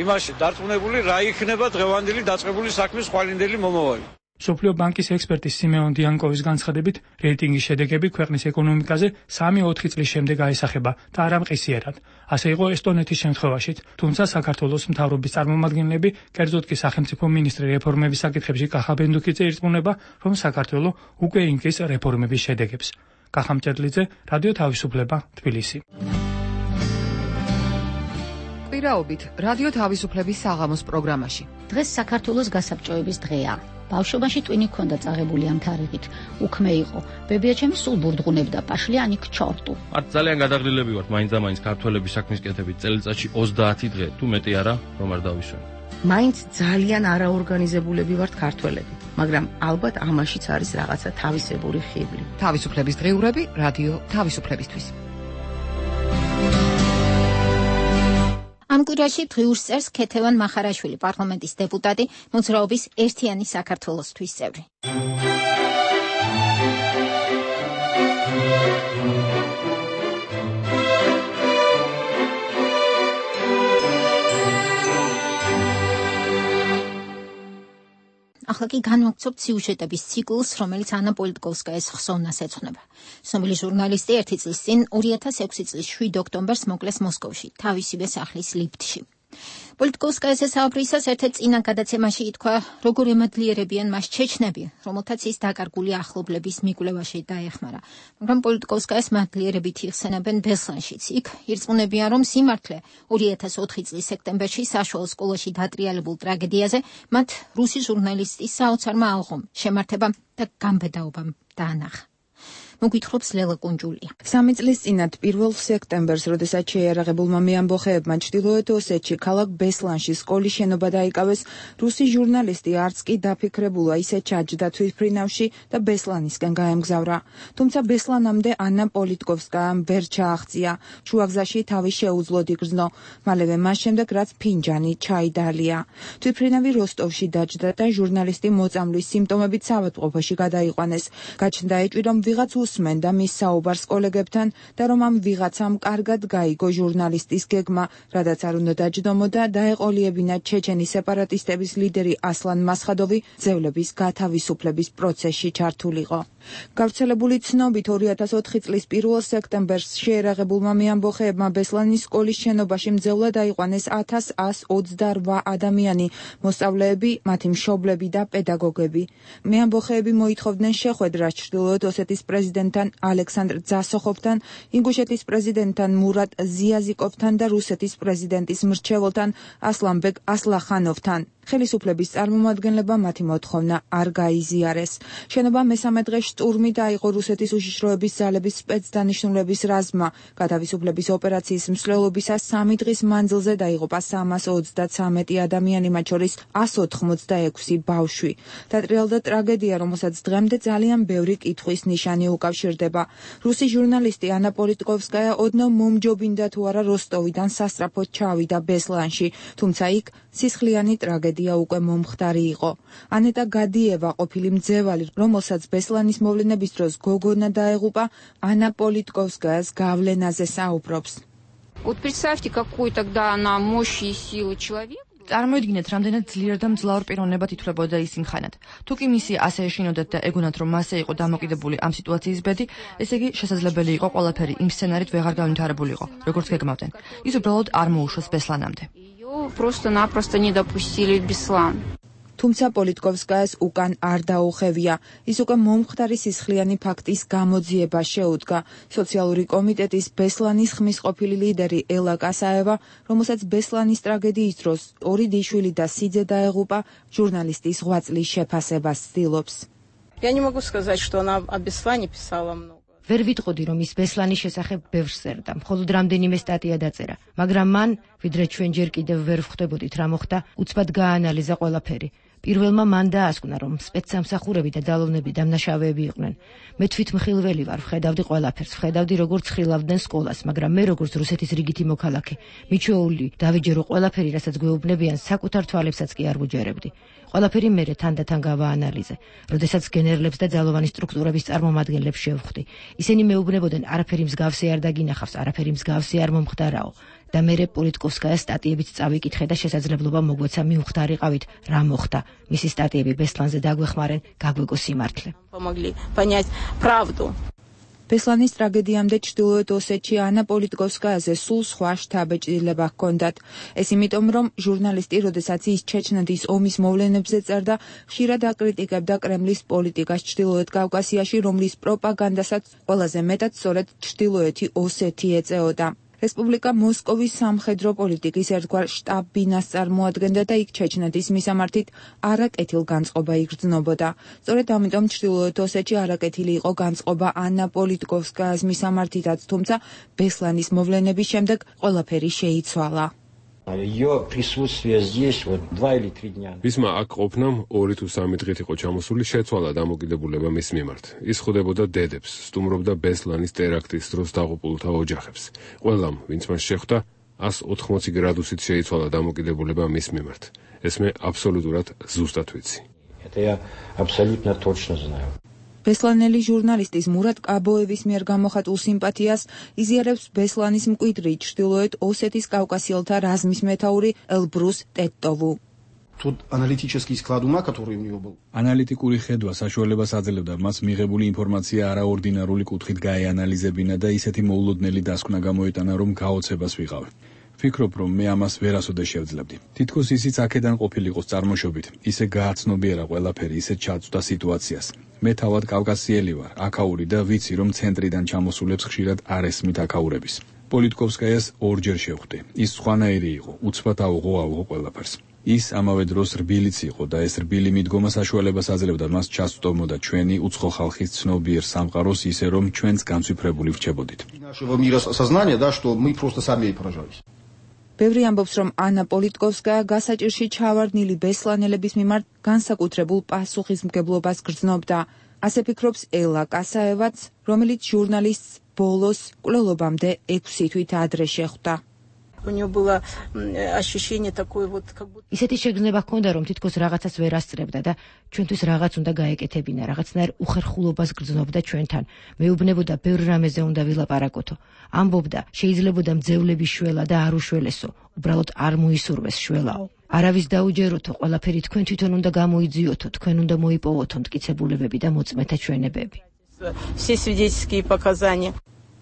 [SPEAKER 21] იმაში დარწმუნებული, რა იქნება დღევანდელი დაწყებული საქმის ხვალინდელი მომავალი.
[SPEAKER 17] მსოფლიო ბანკის ექსპერტის სიმეონ დიანკოვის განცხადებით, რეიტინგის შედეგები ქვეყნის ეკონომიკაზე 3-4 წლის შემდეგ აისახება და არა მყისიერად. ასე იყო ესტონეთის შემთხვევაშიც, თუმცა საქართველოს მთავრობის წარმომადგენლები, კერძოდ კი სახელმწიფო მინისტრი რეფორმების საკითხებში კახა ბენდუქიძე ირწმუნება, რომ საქართველო უკვე ინკის რეფორმების შედეგებს. კახა მჭედლიძე, რადიო თავისუფლება, თბილისი.
[SPEAKER 22] პირაობით რადიო თავისუფლების საღამოს პროგრამაში.
[SPEAKER 23] დღეს საქართველოს გასაბჭოების დღეა. ბავშვობაში ტვინი ქონდა წაღებული ამ თარიღით. უქმე იყო. ბებიაჩემი სულ ბურდღუნებდა პაშლიანი ქჩორტუ.
[SPEAKER 24] მათ ძალიან გადაღრილები ვართ მაინც ქართველების საქმის კეთებით წელიწადში 30 დღე, თუ მეტი არა, რომ არ დავისვენ.
[SPEAKER 25] მაინც ძალიან არაორგანიზებულები ვართ ქართველები, მაგრამ ალბათ ამაშიც არის რაღაცა თავისებური ხიბლი.
[SPEAKER 22] თავისუფლების დღეურები რადიო თავისუფლებისთვის.
[SPEAKER 1] ამ კვირაში დღიურს წერს ქეთევან მახარაშვილი, პარლამენტის დეპუტატი, მოძრაობის ერთიანი საქართველოსთვის წევრი. ახლა კი განვაგრძობთ სიუჟეტების ციკლს, რომელიც ანა პოლიტკოვსკაის ხსოვნას ეძღვნება. ცნობილი ჟურნალისტი 1 წლის წინ 2006 წლის 7 ოქტომბერს მოკლეს მოსკოვში, თავისივე სახლის ლიფტში. პოლიტკოვსკაის საუბრისას ერთ-ერთ წინა გადაცემაში ითქვა, როგორ ემადლიერებიან მას ჩეჩნები, რომელთაც ის დაკარგული ახლობლების მიკვლევაში დაეხმარა. მაგრამ პოლიტკოვსკაის მადლიერებით იხსენებენ ბესლანშიც. იქ ირწმუნებიან, რომ სიმართლე 2004 წლის სექტემბერში საშუალო სკოლაში დატრიალებულ ტრაგედიაზე მათ რუსი ჟურნალისტის საოცარმა ალღომ, შემართებამ და გამბედაობამ დაანახა. მოგვითხრობს ლელა კუნჯულია.
[SPEAKER 6] 3 წლის წინათ 1 სექტემბერს, როდესაც შეიარაღებულმა მეამბოხეებმა ჩრდილოეთ ოსეთში ქალაქ ბესლანში სკოლის შენობა დაიკავეს, რუსი ჟურნალისტი არც კი დაფიქრებულა ისე ჩაჯდა თვითმფრინავში და ბესლანისკენ გაემგზავრა. თუმცა ბესლანამდე ანა პოლიტკოვსკაამ ვერ ჩააღწია. შუაგზაში თავი შეუძლოდ იგრძნო. მალევე მას შემდეგ რაც ფინჯანი ჩაი დალია. თვითმფრინავი როსტოვში დაჯდა და ჟურნალისტი მოწამვლის სიმპტომებით საავადმყოფოში გადაიყვანეს. გაჩნდა ეჭვი, რომ ვიღაც უსმენდა მის საუბარს კოლეგებთან და რომ ამ ვიღაცამ კარგად გაიგო ჟურნალისტის გეგმა, რადგან არ უნდა დაჯდომოდა და დაეყოლიებინა ჩეჩენი სეპარატისტების ლიდერი ასლან მასხადოვი ძევლების გათავისუფლების პროცესში ჩართულიყო. გავრცელებული ცნობით 2004 წლის 1 სექტემბერს შეიარაღებულმა მეამბოხეებმა ბესლანის სკოლის შენობაში მძევლად აიყვანეს 1128 ადამიანი, მოსწავლეები, მათი მშობლები და პედაგოგები. მეამბოხეები მოითხოვდნენ შეხვედრას ჩრდილოეთ ოსეთის პრეზიდენტთან ალექსანდრ ძასოხოვთან, ინგუშეთის პრეზიდენტთან მურატ ზიაზიკოვთან და რუსეთის პრეზიდენტის მრჩეველთან ასლანბეგ ასლახანოვთან. ხელისუფლების წარმომადგენლებმა მათი მოთხოვნა არ გაიზიარეს. შენობა მესამე დღეს შტურმით აიღო რუსეთის უშიშროების ძალების სპეცდანიშნულების რაზმმა. გათავისუფლების ოპერაციის მსვლელობისას 3 დღის მანძილზე დაიღუპა 333 ადამიანი, მათ შორის 186 ბავშვი. დატრიალდა ტრაგედია, რომელსაც დღემდე ძალიან ბევრი კითხვის ნიშანი უკავშირდება. რუსი ჟურნალისტი ანა პოლიტკოვსკაია ოდნავ მომჯობინდა თუ არა როსტოვიდან სასწრაფოდ ჩავიდა ბესლანში, თუმცა იქ სისხლიანი ტრაგედია უკვე მომხდარი იყო. ანეტა გადიევა, ყოფილი მძევალი, რომელსაც ბესლანის მოვლენების დროს გოგონა დაეღუპა, ანა პოლიტკოვსკაიას გავლენაზე საუბრობს.
[SPEAKER 26] Вот представьте, какой тогда она мощь и сила человека.
[SPEAKER 9] წარმოიდგინეთ, რამდენად ძლიერ და მძლავრ პიროვნებად ითვლებოდა ის იმ ხანად. თუ კი მისი ასე ეშინოდათ და ეგონათ, რომ მასე იყო დამოკიდებული ამ სიტუაციის ბედი, ესე იგი შესაძლებელი იყო ყველაფერი იმ სცენარით ვეღარ განვითარებულიყო, როგორც გეგმავდნენ. ის უბრალოდ არ მოუშვეს ბესლანამდე.
[SPEAKER 26] Просто-напросто не допустили в Беслан.
[SPEAKER 6] თუმცა პოლიტკოვსკაიას უკან არ დაუხევია. ის უკვე მომხდარი სისხლიანი ფაქტის გამოძიება შეუდგა. სოციალური კომიტეტის ბესლანის ხმის ყოფილი ლიდერი ელა კასაევა, რომელსაც ბესლანის ტრაგედიის დროს 2 დიშვილი და სიძე დაეღუპა, ჟურნალისტის ღვაწლის შეფასებას ცდილობს.
[SPEAKER 2] Я не могу сказать, что она о Беслане писала много.
[SPEAKER 5] ვერ ვიტყოდი, რომ ის ბესლანის შესახებ ბევრს წერდა, მხოლოდ რამდენიმე სტატია დაწერა, მაგრამ მან, ვიდრე ჩვენ ჯერ კიდევ ვერ ვხვდებოდით რა მოხდა, უცბად გააანალიზა ყველაფერი. პირველმა მან დაასკვნა, რომ სპეცსამსახურები და ძალოვნები დამნაშავეები იყვნენ. მე თვითმხილველი ვარ, ვხედავდი ყველაფერს, ვხედავდი როგორც ხილავდნენ სკოლას, მაგრამ მე როგორც რუსეთის რიგითი მოქალაქე, მიჩვეული დავიჯერო ყველაფერი, რასაც გვეუბნებიან, საკუთარ თვალებსაც კი არ ვუჯერებდი. ყველაფერი მერე თანდათან გავაანალიზე. როდესაც გენერლებს და ძალოვანი სტრუქტურების წარმომადგენლებს შევხვდი, ისინი მეუბნებოდნენ, არაფერი მსგავსი არ დაგინახავს, არაფერი მსგავსი არ მომხდარაო. და მერე პოლიტკოვსკაიას სტატიებიც წავიკითხე და შესაძლებლობა მოგვეცა მივხვდარიყავით რა მოხდა. მისი სტატიები ბესლანზე დაგვეხმარენ, გაგვეგო სიმართლე.
[SPEAKER 2] Помогли понять правду.
[SPEAKER 6] ბესლანის ტრაგედიამდე ჩრდილოეთ ოსეთში ანა პოლიტკოვსკაიაზე სულ სხვა შთაბეჭდილება ჰქონდათ. ეს იმიტომ, რომ ჟურნალისტი, როდესაც ის ჩეჩნეთის ომის მოვლენებზე წერდა, ხშირად აკრიტიკებდა კრემლის პოლიტიკას ჩრდილოეთ კავკასიაში, რომლის პროპაგანდასაც ყველაზე მეტად სწორედ ჩრდილოეთი ოსეთი ეწეოდა. რესპუბლიკა მოსკოვის სამხედრო პოლიტიკის ერთგვარ შტაბ-ბინას წარმოადგენდა და იქ ჩეჩნეთის მისამართით არაკეთილ განწყობა იგრძნობოდა. სწორედ ამიტომ ჩრდილოეთ ოსეთში არაკეთილი იყო განწყობა ანა პოლიტკოვსკაიას მისამართითაც, თუმცა ბესლანის მოვლენების შემდეგ ყველაფერი შეიცვალა.
[SPEAKER 7] Ее присутствие здесь вот 2 или 3 дня.
[SPEAKER 8] მისმა აქ ყოფნამ 2 თუ 3 დღით იყო ჩამოსული, შეცვალა დამოკიდებულება მის მიმართ. ის ხვდებოდა დედებს, სტუმრობდა ბესლანის ტერაქტის დროს დაღუპულთა ოჯახებს. ყველამ, ვინც მას შეხვდა, 180 გრადუსით შეიცვალა დამოკიდებულება მის მიმართ. ეს მე აბსოლუტურად ზუსტად ვიცი.
[SPEAKER 7] Это я абсолютно точно знаю.
[SPEAKER 6] ბესლანელი ჟურნალისტის მურატ კაბოევის მიერ გამოხატულ სიმპათიას იზიარებს ბესლანის მკვიდრი ჩრდილოეთ ოსეთის კავკასიელთა რაზმის მეთაური ელბრუს ტეტოვუ.
[SPEAKER 10] Тот аналитический склад ума, который у него был.
[SPEAKER 13] ანალიტიკური ხედვა საშუალებას აძლევდა მას მიღებული ინფორმაცია არაორდინარული კუთხით გაეანალიზებინა და ისეთი მოულოდნელი დასკვნა გამოეტანა, რომ გაოცებას ვიყავ. ვფიქრობ, რომ მე ამას ვერასოდეს შევძლებდი. თითქოს ისიც აქედან ყოფილიყოს წარმოშობით, ისე გააცნობიერა ყველაფერი, ისე ჩაწვდა სიტუაციას. მე თავად კავკასიელი ვარ, აქაური და ვიცი, რომ ცენტრიდან ჩამოსულებს ხშირად არ ესმით აქაურების. პოლიტკოვსკაიას ორჯერ შევხვდი. ის სხვანაირი იყო, უცბად აუღო ყველაფერს. ის ამავე დროს რბილიც იყო და ეს რბილი მიდგომა საშუალებას აძლევდა მას ჩასწვდომოდა ჩვენი უცხო ხალხის ცნობიერ სამყაროს, ისე რომ ჩვენც განცვიფრებული ვრჩებოდით.
[SPEAKER 10] Нашего мира сознания, да, что мы просто сами поражались.
[SPEAKER 6] ბევრი ამბობს, რომ ანა პოლიტკოვსკაია გასაჭირში ჩავარდნილი ბესლანელების მიმართ განსაკუთრებულ პასუხისმგებლობას გრძნობდა. ასე ფიქრობს ელა კასაევაც, რომელიც ჟურნალისტს ბოლოს კვლელობამდე 6 თვით ადრე შეხვდა.
[SPEAKER 2] У него было ощущение такое вот как будто
[SPEAKER 5] ისეთი შეგრძნება ჰქონდა, რომ თითქოს რაღაცას ვერ ასწრებდა და ჩვენთვის რაღაც უნდა გაეკეთებინა, რაღაცნაირ უხერხულობას გრძნობდა ჩვენთან. მეუბნებოდა ბევრ რამეზე უნდა ვილაპარაკოთო. ამბობდა, შეიძლებოდა მძევლების შველა და არ უშველესო, უბრალოდ არ მოისურვეს შველაო. არავის დაუჯეროთო, ყველაფერი თქვენ თვითონ უნდა გამოიძიოთო, თქვენ უნდა მოიპოვოთო მტკიცებულებები და მოწმეთა ჩვენებები.
[SPEAKER 2] все свидетельские показания.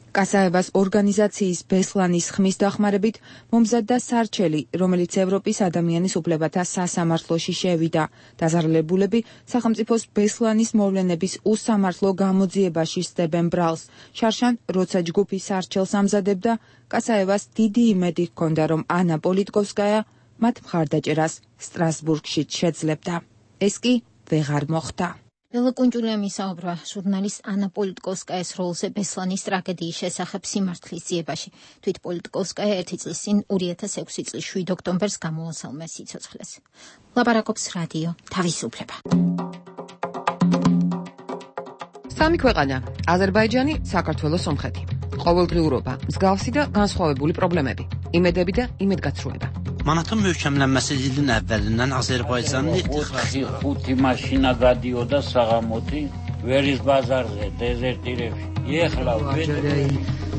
[SPEAKER 6] კასაევას ორგანიზაციის ბესლანის ხმის დახმარებით მომზადდა სარჩელი, რომელიც ევროპის ადამიანის უფლებათა სასამართლოში შევიდა. დაზარალებულები სახელმწიფოს ბესლანის მოვლენების უსამართლო გამოძიებაში სდებენ ბრალს. შარშან, როცა ჯგუფი სარჩელს ამზადებდა, კასაევას დიდი იმედი ჰქონდა, რომ ანა პოლიტკოვსკაია მათ მხარდაჭერას სტრასბურგში შეძლებდა. ეს კი ვეღარ მოხდა.
[SPEAKER 1] ელა კუნჭულიამ ისაუბრა ჟურნალისტ ანა პოლიტკოვსკაიას როლზე ბესლანის ტრაგედიის შესახებ სიმართლის ძიებაში. თვით პოლიტკოვსკაია 1 წლის წინ 2006 წლის 7 ოქტომბერს გამოასალმა სიცოცხლეს. ლაპარაკობს რადიო თავისუფლება.
[SPEAKER 22] სამი ქვეყანა: აზერბაიჯანი, საქართველოს, სომხეთი. ყოველდღიურობა, მსგავსი და განსხვავებული პრობლემები, იმედები და იმედგაცრუება.
[SPEAKER 27] Manatın möhkəmlənməsi ilin əvvəlindən Azərbaycanın
[SPEAKER 28] ხუთი maşina გადიოდა საღამოთი ვერის ბაზარზე დეზერტირებში. ეხლა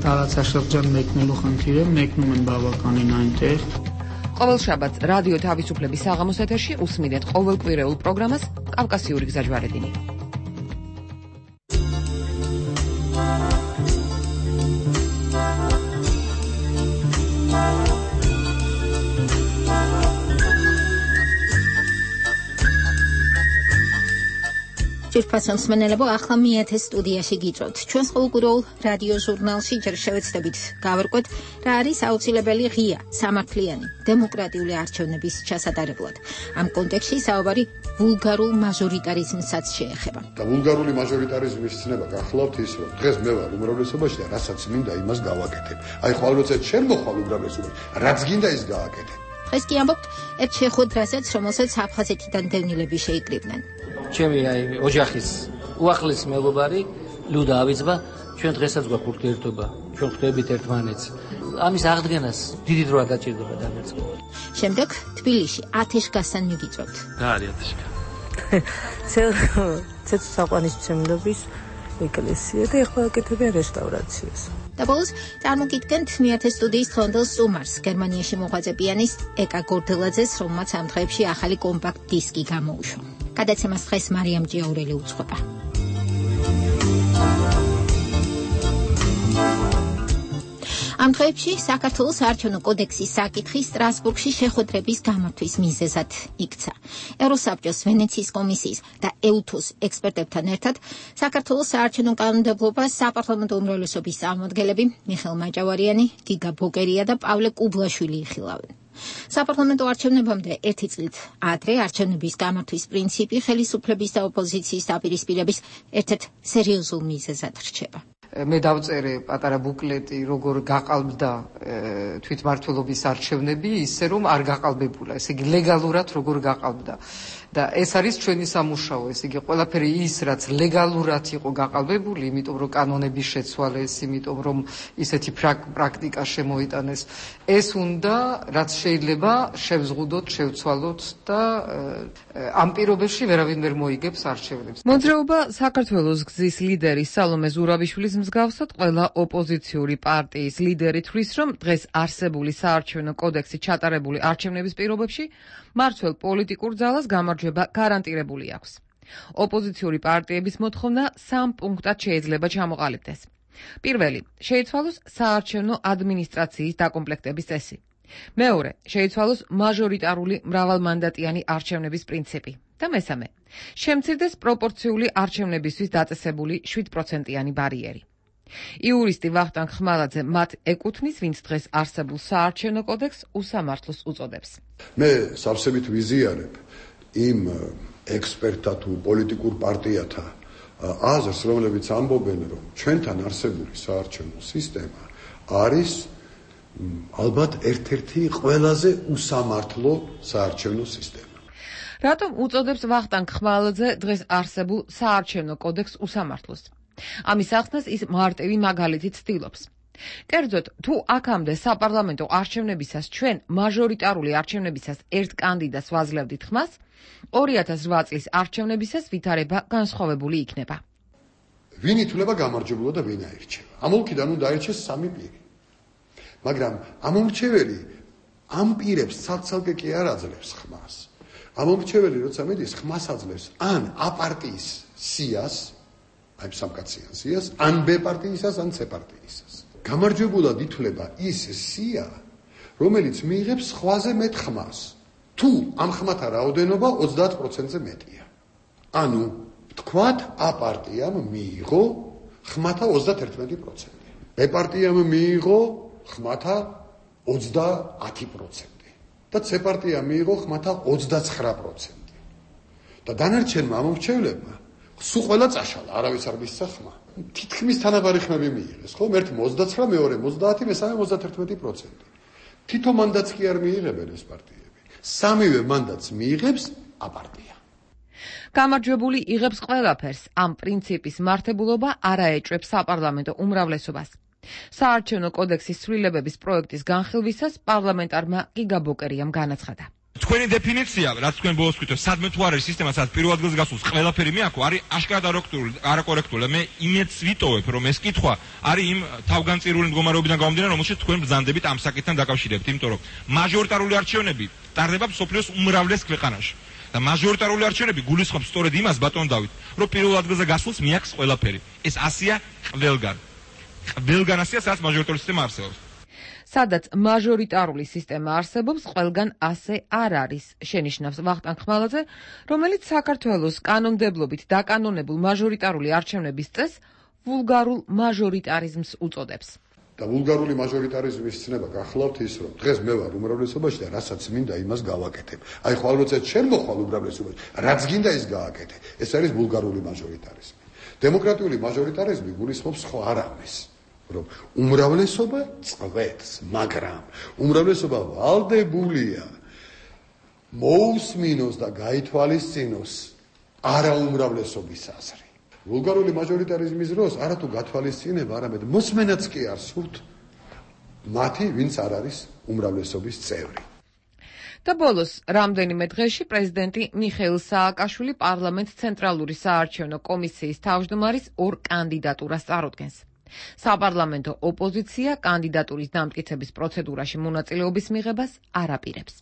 [SPEAKER 29] რაღაცა შეღწევ მეკნելու ხანთირე მეკნუმენ ბაბაკანინ այնտեղ.
[SPEAKER 22] ყოველ შაბათს რადიო თავისუფლების საღამოს ეთერში უსმენთ ყოველკვირეულ პროგრამას კავკასიური გზაჯვარედინი.
[SPEAKER 1] Შვირფასო მსმენელებო, ახლა მეათე სტუდიაში გიჭროთ. ჩვენს ყოველკვირეულ რადიო ჟურნალში ჯერ შევეცდებით გავარკვეთ, რა არის აუცილებელი ღია, სამართლიანი, დემოკრატიული არჩევნების ჩასატარებლად. ამ კონტექსტში საუბარი ვულგარულ მაჟორიტარიზმსაც შეეხება.
[SPEAKER 10] და ვულგარული მაჟორიტარიზმის ცნება გახლავთ ის, რომ დღეს მე ვარ უმრავლესობაში და რასაც მინდა იმას გავაკეთებ. აი ხვალ როცა შენ მოხვალ უმრავლესობაში, რაც გინდა ის გააკეთებ.
[SPEAKER 1] დღეს კი ამბობთ ერთ შეხვედრაზეც, რომელსაც აფხაზეთიდან დევნილები შეიკრიბნენ.
[SPEAKER 3] ჩემი ოჯახის უახლესი მეგობარი ლუდა ავიძბა, ჩვენ დღესაც გვაქვს ურთიერთობა, ჩვენ ხვდებით ერთმანეთს. ამის აღდგენას დიდი დროა დაჭირდება დამერწყება.
[SPEAKER 1] შემდეგ თბილისში ათეშგასთან მიგიწვევთ.
[SPEAKER 3] რა არის ათეშგა?
[SPEAKER 2] ცეცხლსაყვანისმცემლობის ეკლესია და ეხლა აკეთებენ რესტავრაციას.
[SPEAKER 1] და ბოლოს წარმოგიდგენთ მეათე სტუდიის დღევანდელ სტუმარს, გერმანიაში მოღვაწე პიანისტ ეკა გორდელაძეს, რომელმაც ამ დღეებში ახალი კომპაქტ დისკი გამოუშვა. გადაცემას დღეს მარიამ ჭიაურელი უძღვება. ამ დღეებში საქართველოს საარჩევნო კოდექსის საკითხი სტრასბურგში შეხვედრების გამართვის მიზეზად იქცა. ევროსაბჭოს ვენეციის კომისიის და ეუთოს ექსპერტებთან ერთად საქართველოს საარჩევნო კანონმდებლობას საპარლამენტო უმრავლესობის წარმომადგენლები მიხეილ მაჭავარიანი, გიგა ბოკერია და პავლე კუბლაშვილი იხილავენ. საპარლამენტო არჩევნებამდე ერთი წლით ადრე არჩევნების გამართვის პრინციპი ხელისუფლების და ოპოზიციის დაპირისპირების ერთ-ერთ სერიოზულ მიზეზად რჩება.
[SPEAKER 22] მე დავწერე პატარა ბუკლეტი, როგორ გაყალბდა თვითმმართველობის არჩევნები, ისე რომ არ გაყალბებულა, ესე იგი ლეგალურად როგორ გაყალბდა. და ეს არის ჩვენი სამუშაო, ესე იგი ყველაფერი ის, რაც ლეგალურად იყო გაყალბებული, იმიტომ რომ კანონები შეცვალეს, იმიტომ რომ ისეთი პრაქტიკა შემოიტანეს, ეს უნდა, რაც შეიძლება შევზღუდოთ, შევცვალოთ და ამ პირობებში ვერავინ ვერ მოიგებს არჩევნებს. მოძრაობა საქართველოს გზის ლიდერი სალომე ზურაბიშვილის მსგავსად ყველა ოპოზიციური პარტიის ლიდერი თვლის, რომ დღეს არსებული საარჩევნო კოდექსი ჩატარებული არჩევნების პირობებში მმართველ პოლიტიკურ ძალას გამარჯვება გარანტირებული აქვს. ოპოზიციური პარტიების მოთხოვნა 3 პუნქტად შეიძლება ჩამოყალიბდეს. პირველი, შეიცვალოს საარჩევნო ადმინისტრაციის დაკომპლექტების წესი. მეორე, შეიცვალოს მაჟორიტარული მრავალმანდატიანი არჩევნების პრინციპი. და მესამე, შემცირდეს პროპორციული არჩევნებისთვის დაწესებული 7%-იანი ბარიერი. იურისტი ვახტანგ ხმალაძე მათ ეკუთვნის, ვინც დღეს არსებულ საარჩევნო კოდექსს უსამართლოს უწოდებს.
[SPEAKER 10] მე სავსებით ვიზიარებ იმ ექსპერტთა თუ პოლიტიკურ პარტიათა აზრს, რომლებიც ამბობენ, რომ ჩვენთან არსებული საარჩევნო სისტემა არის ალბათ ერთ-ერთი ყველაზე უსამართლო საარჩევნო სისტემა.
[SPEAKER 22] რატომ უწოდებს ვახტანგ ხმალაძე დღეს არსებულ საარჩევნო კოდექსს usამართლოს? ამის ახსნას ის მარტივი მაგალითით ცდილობს. კერძოდ, თუ აქამდე საპარლამენტო არჩევნებისას ჩვენ მაჟორიტარული არჩევნებისას ერთ კანდიდატს ვაძლევდით ხმას, 2008 წლის არჩევნებისას ვითარება განსხვავებული იქნება.
[SPEAKER 10] ვინ ითვლება გამარჯვებულად და ვინ აირჩევა? ამოლქიდან უნდა აირჩეს 3 პირი. მაგრამ ამომრჩეველი ამ პირებს ცალ-ცალკე კი არ აძლევს ხმას. ამომრჩეველი როცა მიდის ხმას აძლევს ან A პარტიის სიას, აი სამკაციან სიას, ან B პარტიისას, ან C პარტიისას. გამარჯვებულად ითვლება ის სია, რომელიც მიიღებს სხვაზე მეტ ხმას. თუ ამ ხმათა რაოდენობა 30%-ზე მეტია. ანუ თქვათ A პარტიამ მიიღო ხმათა 31%. B პარტიამ მიიღო ხმათა 30% და C პარტიამ მიიღო ხმათა 29%. და დანარჩენმა ამომრჩევლებმა სულ ყველა წაშალა, არავის არ მისცა ხმა. თითქმის თანაბარი ხმები მიიღეს, ხო? ერთი 29, მეორე 30, მესამე 31%. თითო მანდატს კი არ მიიღებენ ეს პარტიები. სამივე მანდატს მიიღებს A პარტია.
[SPEAKER 22] გამარჯვებული იღებს ყველაფერს. ამ პრინციპის მართებულობა არ აეჭვებს საპარლამენტო უმრავლესობას. საარჩევნო კოდექსის ცვლილებების პროექტის განხილვისას პარლამენტარმა გიგა ბოკერიამ განაცხადა.
[SPEAKER 4] თქვენი დეფინიცია, რაც თქვენ ბოლოს ვთქვით, სადმე თუ არის სისტემა, სადაც პირველ ადგილს გასულს ყველაფერი მეაქო, არის აშკარად არაკორექტული. მე იმედს ვიტოვებ, რომ ეს კითხვა არის იმ თავგანწირული მდგომარეობიდან გამომდინარე, რომელშიც თქვენ ბრძანდებით ამ საკითხთან დაკავშირებით, იმიტომ რომ მაჟორიტარული არჩევნები ტარდება მსოფლიოს უმრავლეს ქვეყანაში. და მაჟორიტარული არჩევნები გულისხმობს სწორედ იმას, ბატონ დავით, რომ პირველ ადგილზე გასულს მეაქს ყველაფერი. ეს ასია ყველგან. ყველგან ასია, სადაც მაჟორიტარული სისტემა არსებობს.
[SPEAKER 11] სადაც მაჟორიტარული სისტემა არსებობს, ყველგან ასე არ არის, შენიშნავს ვახტანგ ხმალაძე, რომელიც საქართველოს კანონმდებლობით დაკანონებულ მაჟორიტარული არჩევნების წესს ვულგარულ მაჟორიტარიზმს უწოდებს.
[SPEAKER 10] და ვულგარული მაჟორიტარიზმის ცნება გახლავთ ის, რომ დღეს მე ვარ უმრავლესობაში და რასაც მინდა იმას გავაკეთებ. აი ხო ალბათ შენ მოხვალ უმრავლესობაში, რაც გინდა ის გააკეთე. ეს არის ვულგარული მაჟორიტარიზმი. დემოკრატიული მაჟორიტარიზმი გულისხმობს ხო არ ამის, რომ უმრავლესობა წვეთს, მაგრამ უმრავლესობა ვალდებულია მოусმინოს და გაითვალისწინოს არაუმრავლესობის აზრი. ვულგარული მაჟორიტარიზმის დროს არათუ გათვალისწინება, არამედ მოსმენაც კი არ სურთ მათი, ვინც არ არის უმრავლესობის წევრი.
[SPEAKER 11] და ბოლოს რამდენიმე დღეში პრეზიდენტი მიხეილ სააკაშვილი პარლამენტ ცენტრალური საარჩევნო კომისიის თავმჯდომარის 2 კანდიდატურას წარუდგენს. საპარლამენტო ოპოზიცია კანდიდატურის დამტკიცების პროცედურაში მონაწილეობის მიღებას არ აპირებს.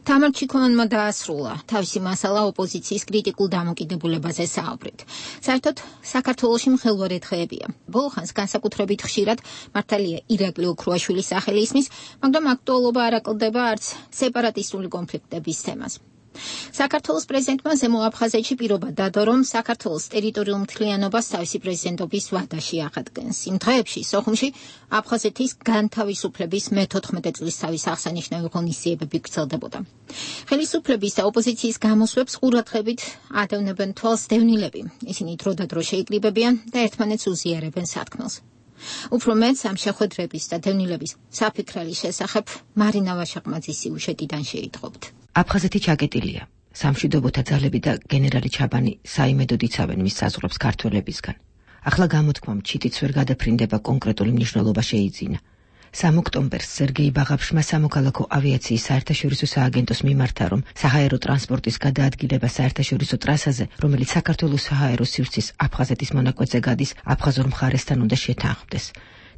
[SPEAKER 1] თამარ ჩიქოვანმა დაასრულა თავისი მასალა ოპოზიციის კრიტიკულ დამოკიდებულებაზე საუბრით. საერთოდ საქართველოში მღელვარე დღეებია. ბოლო ხანს განსაკუთრებით ხშირად მართალია ირაკლი ოქრუაშვილის სახელი ისმის, მაგრამ აქტუალობა არ აკლდება არც სეპარატისტული კონფლიქტების თემას. საქართველოს პრეზიდენტმა ზემო აფხაზეთში პირობა დადო, რომ საქართველოს ტერიტორიულ მთლიანობას თავისი პრეზიდენტობის ვადაში აღადგენს. იმ დღეებში სოხუმში აფხაზეთის განთავისუფლების მე-14 წლისთავის აღსანიშნავი ღონისძიებები გრძელდებოდა. ხელისუფლების და ოპოზიციის გამოსვლებს ყურადღებით ადევნებენ თვალს დევნილები. ისინი დროდადრო შეიკრიბებიან და ერთმანეთს უზიარებენ სათქმელს. უფრო მეც ამ შეხვედრების და დევნილების საფიქრალის შესახებ მარინა ვაშაყმაძის სიუჟეტიდან შეიტყობთ.
[SPEAKER 5] აფხაზეთი ჩაკეტილია. სამშვიდობოთა ძალები და გენერალი ჩაბანი საიმედოდ იცავენ მის საზღვრებს ქართველებისგან. ახლა გამოთქვამ ჩიტიც ვერ გადაფრინდება კონკრეტული მნიშვნელობა შეიძინა. 3 ოქტომბერს სერგეი ბაღაფშმა სამოქალაქო ავიაციის საერთაშორისო სააგენტოს მიმართა, რომ საჰაერო ტრანსპორტის გადაადგილება საერთაშორისო ტრასაზე, რომელიც საქართველოს საჰაერო სივრცის აფხაზეთის მონაკვეთზე გადის, აფხაზურ მხარესთან უნდა შეთანხმდეს.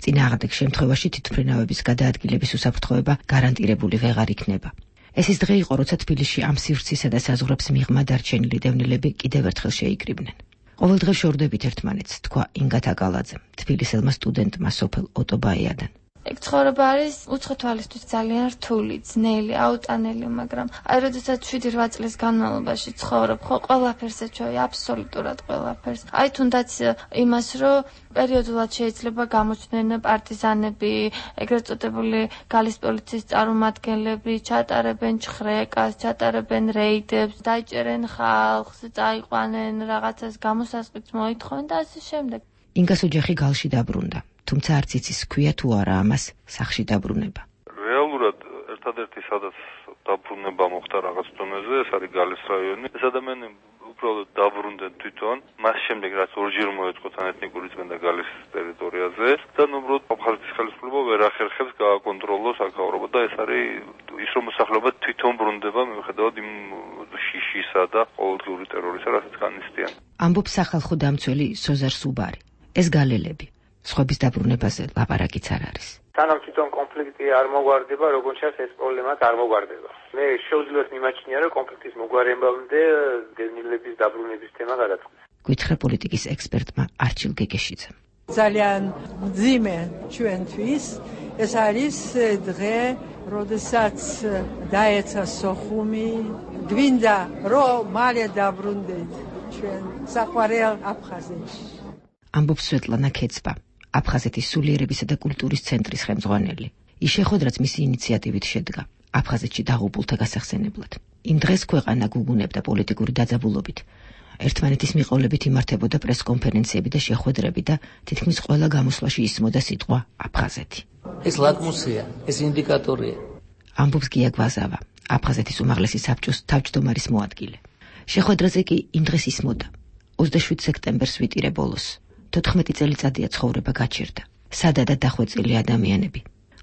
[SPEAKER 5] წინააღმდეგ შემთხვევაში თვითმფრინავების გადაადგილების უსაფრთხოება გარანტირებული ვეღარ იქნება. ეს ის დღე იყო, როცა თბილისში ამ სივრცისა და საზღვრებს მიღმა დარჩენილი დევნილები კიდევ ერთხელ შეიკრიბნენ. ყოველ დღე შორდებით ერთმანეთს, თქვა ინგა თაკალაძემ, თბილისელმა სტუდენტმა სოფელ ოტობაიადან.
[SPEAKER 12] ეგ ცხოვრება არის უცხო თვალისთვის ძალიან რთული, ძნელი, აუტანელი, მაგრამ აი როდესაც 7-8 წლის განმავლობაში ცხოვრობ, ხო ყველაფერს ეჩვევი, აბსოლუტურად ყველაფერს. აი თუნდაც იმას, რომ პერიოდულად შეიძლება გამოჩნდნენ პარტიზანები, ეგრეთ წოდებული გალის პოლიციის წარმომადგენლები, ჩატარებენ ჩხრეკას, ჩატარებენ რეიდებს, დაიჭერენ ხალხს, წაიყვანენ რაღაცას, გამოსასყიდს მოითხოვენ და ასე შემდეგ.
[SPEAKER 5] ინგას ოჯახი გალში დაბრუნდა. თუმცა არც იცის ქვია თუ არა ამას სახში დაბრუნება.
[SPEAKER 14] რეალურად ერთადერთი სადაც დაბრუნება მოხდა რაღაც დონეზე, ეს არის გალის რაიონი. ეს ადამიანი უბრალოდ დაბრუნდნენ თვითონ, მას შემდეგ რაც ორჯერ მოეწყო ეთნიკური წმენდა გალის ტერიტორიაზე და უბრალოდ აფხაზეთის ხელისუფლება ვერ ახერხებს გააკონტროლოს აქაურობა და ეს არის ის რომ მოსახლეობა თვითონ ბრუნდება მიუხედავად იმ შიშისა და ყოველდღიური ტერორისა, რასაც განიცდიან.
[SPEAKER 5] ამბობს სახალხო დამცველი სოზარ სუბარი. ეს გალელები სხვების დაბრუნებაზე ლაპარაკიც არ არის.
[SPEAKER 15] სანამ თვითონ კონფლიქტი არ მოგვარდება, როგორც ჩანს ეს პრობლემაც არ მოგვარდება. მე შეუძლებს მიმაჩნია, რომ კონფლიქტის მოგვარებამდე დევნილების დაბრუნების თემა გადაწყვეტს.
[SPEAKER 5] გვითხრა პოლიტიკის ექსპერტმა არჩილ გეგეშიძემ.
[SPEAKER 16] ძალიან მძიმე ჩვენთვის ეს არის დღე, როდესაც დაეცა სოხუმი, გვინდა რომ მალე დაბრუნდეთ ჩვენ საყვარელ აფხაზეთში.
[SPEAKER 5] ამბობს სვეტლანა ქეცბა, აფხაზეთის სულიერებისა და კულტურის ცენტრის ხელმძღვანელი. ის შეხვედრაც მისი ინიციატივით შედგა აფხაზეთში დაღუპულთა გასახსენებლად. იმ დღეს ქვეყანა გუგუნებდა პოლიტიკური დაძაბულობით. ერთმანეთის მიყოლებით იმართებოდა პრესკონფერენციები და შეხვედრები და თითქმის ყველა გამოსვლაში ისმოდა სიტყვა აფხაზეთი.
[SPEAKER 3] ეს ლაკმუსია, ეს ინდიკატორია.
[SPEAKER 5] ამბობს გია გვაზავა, აფხაზეთის უმაღლესი საბჭოს თავმჯდომარის მოადგილე. შეხვედრაზე კი იმ დღეს ისმოდა 27 სექტემბერს ვიტირე ბოლოს. 14 წელიწადია ცხოვრება გაჩერდა. სადადად დახვეწილი ადამიანები.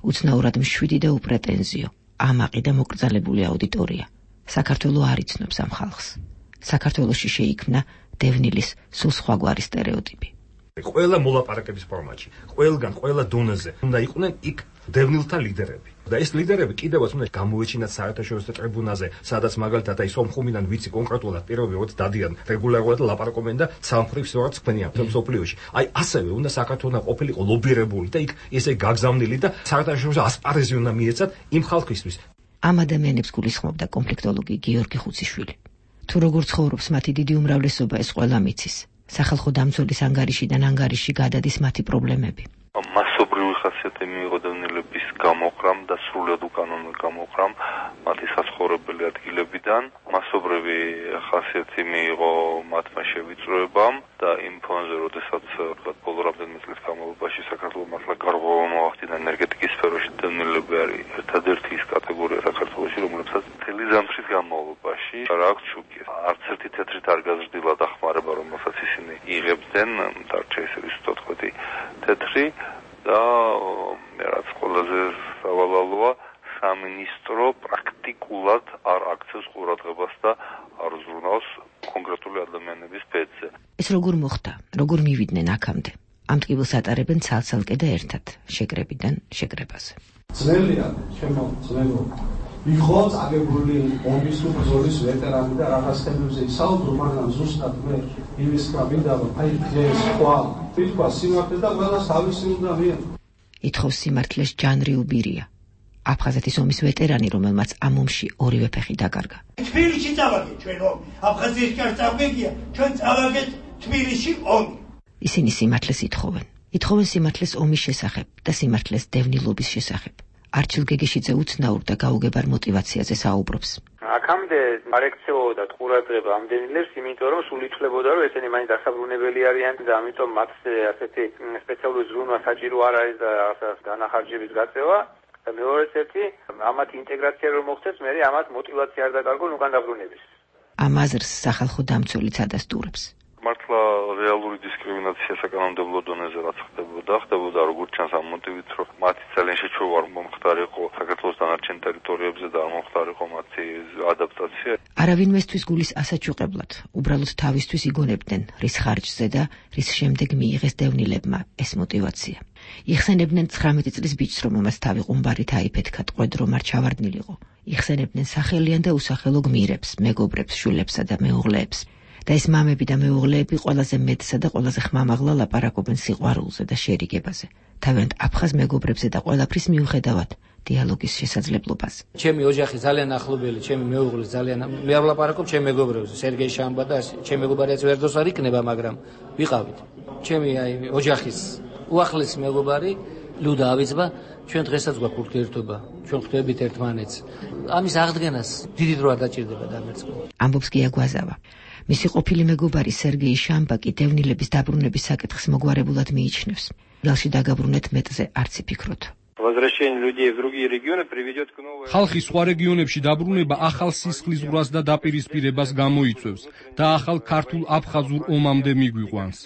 [SPEAKER 5] უცნაურად მშვიდი და უპრეტენზიო, ამაყი და მოკრძალებული აუდიტორია. საქართველო არ იცნობს ამ ხალხს. საქართველოში შეიქმნა დევნილის სულ სხვაგვარი სტერეოტიპი.
[SPEAKER 18] ყველა მოლაპარაკების ფორმატში, ყველგან, ყველა დონეზე უნდა იყვნენ იქ
[SPEAKER 9] დევნილთა ლიდერები. და ეს ლიდერები კიდევაც უნდა გამოეჩინათ საერთაშორისო ტრიბუნაზე, სადაც მაგალითად აი სომხუმიდან ვიცი კონკრეტულად პირველი როცა დადიან რეგულარულად ლაპარაკობენ და სამფრივ სწორად თქვენია მსოფლიოში. აი ასევე უნდა საქართველოს ყოფილიყო ლობირებული და იქ ესე გაგზავნილი და საერთაშორისო ასპარეზი უნდა მიეცათ იმ ხალხისთვის.
[SPEAKER 5] ამ ადამიანებს გულისხმობდა კონფლიქტოლოგი გიორგი ხუციშვილი. თუ როგორ ცხოვრობს მათი დიდი უმრავლესობა ეს ყველა მიცის. სახალხო დამცველის ანგარიშიდან ანგარიში გადადის მათი პრობლემები.
[SPEAKER 14] მასობრივი ხასიათი მიიღო დევნილების გამოყრამ და სრულად უკანონო გამოყრამ მათი საცხოვრებელი ადგილებიდან. მასობრივი ხასიათი მიიღო მათმა შევიწროებამ და იმ ფონზე, როდესაც ბოლო რამდენიმე წლის განმავლობაში საქართველოს მართლა გარღვევა მოახდინა ენერგეტიკის სფეროში, დევნილები არის ერთადერთი ის კატეგორია საქართველოში, რომლებსაც მთელი ზამთრის განმავლობაში არ აქვს შუქი. არც ერთი თეთრით არ გაზრდილა დახმარება, რომელსაც ისინი იღებდნენ, დარჩა ისე ვისწოთხოთი თეთრი და რაც ყველაზე სავალალოა, სამინისტრო პრაქტიკულად არ აქცევს ყურადღებას და არ ზრუნავს კონკრეტული ადამიანების ბედზე.
[SPEAKER 5] ეს როგორ მოხდა? როგორ მივიდნენ აქამდე? ამ ტკივილს ატარებენ ცალ-ცალკე და ერთად, შეკრებიდან შეკრებაზე.
[SPEAKER 17] ძნელია, ჩემო ძნელო. იყო წაგებული ომის თუ ბრძოლის ვეტერანი და რაღაც თემებზე ისაუბრო, მაგრამ ზუსტად მე იმის მინდა რომ აი ეს სხვა თვითონ სიმართლე და ყველას თავისი უნდა მიიღო.
[SPEAKER 5] ითხოვს სიმართლეს ჯანრი უბირია. აფხაზეთის ომის ვეტერანი, რომელმაც ამ ომში ორივე ფეხი დაკარგა.
[SPEAKER 18] თბილისში წავაგეთ ჩვენ ომი. აფხაზეთის კარს წავგეგია, ჩვენ წავაგეთ თბილისში ომი.
[SPEAKER 5] ისინი სიმართლეს ითხოვენ. ითხოვენ სიმართლეს ომის შესახებ და სიმართლეს დევნილობის შესახებ. არჩილ გეგეშიძე უცნაურ და გაუგებარ мотивაციაზე საუბრობს.
[SPEAKER 15] აქამდე არ ექცეოდა ყურადღება ამ დევნილებს, იმიტომ რომ სულ ითვლებოდა, რომ ესენი მაინც დასაბრუნებელი არიან და ამიტომ მათზე ასეთი სპეციალური ზრუნვა საჭირო არ არის და განახარჯების გაწევა. და მეორეც ერთი, ამათ ინტეგრაცია რომ მოხდეს, მე ამათ мотивაცია არ დაკარგონ უკან დაბრუნების.
[SPEAKER 5] ამ აზრს სახალხო დამცველიც ადასტურებს.
[SPEAKER 14] მართლა რეალური დისკრიმინაცია საკანონმდებლო დონეზე რაც ხდებოდა როგორც ჩანს ამ მოტივით, რომ მათი ძალიან შეჩვევა არ მომხდარიყო საქართველოს დანარჩენ ტერიტორიებზე და არ მომხდარიყო მათი ადაპტაცია.
[SPEAKER 5] არავინმესთვის გულის ასაჩუყებლად, უბრალოდ თავისთვის იგონებდნენ, რის ხარჯზე და რის შემდეგ მიიღეს დევნილებმა ეს мотивაცია. იხსენებდნენ 19 წლის ბიჭს, რომელმაც თავი ყუმბარით აიფეთქა ტყვედ რომ არ ჩავარდნილიყო. იხსენებდნენ სახელიან და უსახელო გმირებს, მეგობრებს, შვილებსა და მეუღლეებს. და ეს მამები და მეუღლეები ყველაზე მეტსა და ყველაზე ხმამაღლა ლაპარაკობენ სიყვარულზე და შერიგებაზე. თავიანთ აფხაზ მეგობრებზე და ყველაფრის მიუხედავად დიალოგის შესაძლებლობას.
[SPEAKER 3] ჩემი ოჯახი ძალიან ახლობელი, ჩემი მეუღლე ძალიან მე არ ვლაპარაკობ ჩემ მეგობრებზე, სერგეი შამბა და ჩემი მეგობარიც ვერდოს არ იქნება, მაგრამ ვიყავით. ჩემი აი ოჯახის უახლესი მეგობარი ლუდა ავიძბა, ჩვენ დღესაც გვაქვს ურთიერთობა, ჩვენ ხვდებით ერთმანეთს. ამის აღდგენას დიდი დრო არ დაჭირდება დამერწყვეტ.
[SPEAKER 5] ამბობს გია გვაზავა. მისი ყოფილი მეგობარი სერგეი შამბა კი დევნილების დაბრუნების საკითხს მოგვარებულად მიიჩნევს. გალში დაგაბრუნეთ მეტზე არც იფიქროთ.
[SPEAKER 19] ხალხი სხვა რეგიონებში დაბრუნება ახალ სისხლისღვრას და დაპირისპირებას გამოიწვევს და ახალ ქართულ აფხაზურ ომამდე მიგვიყვანს.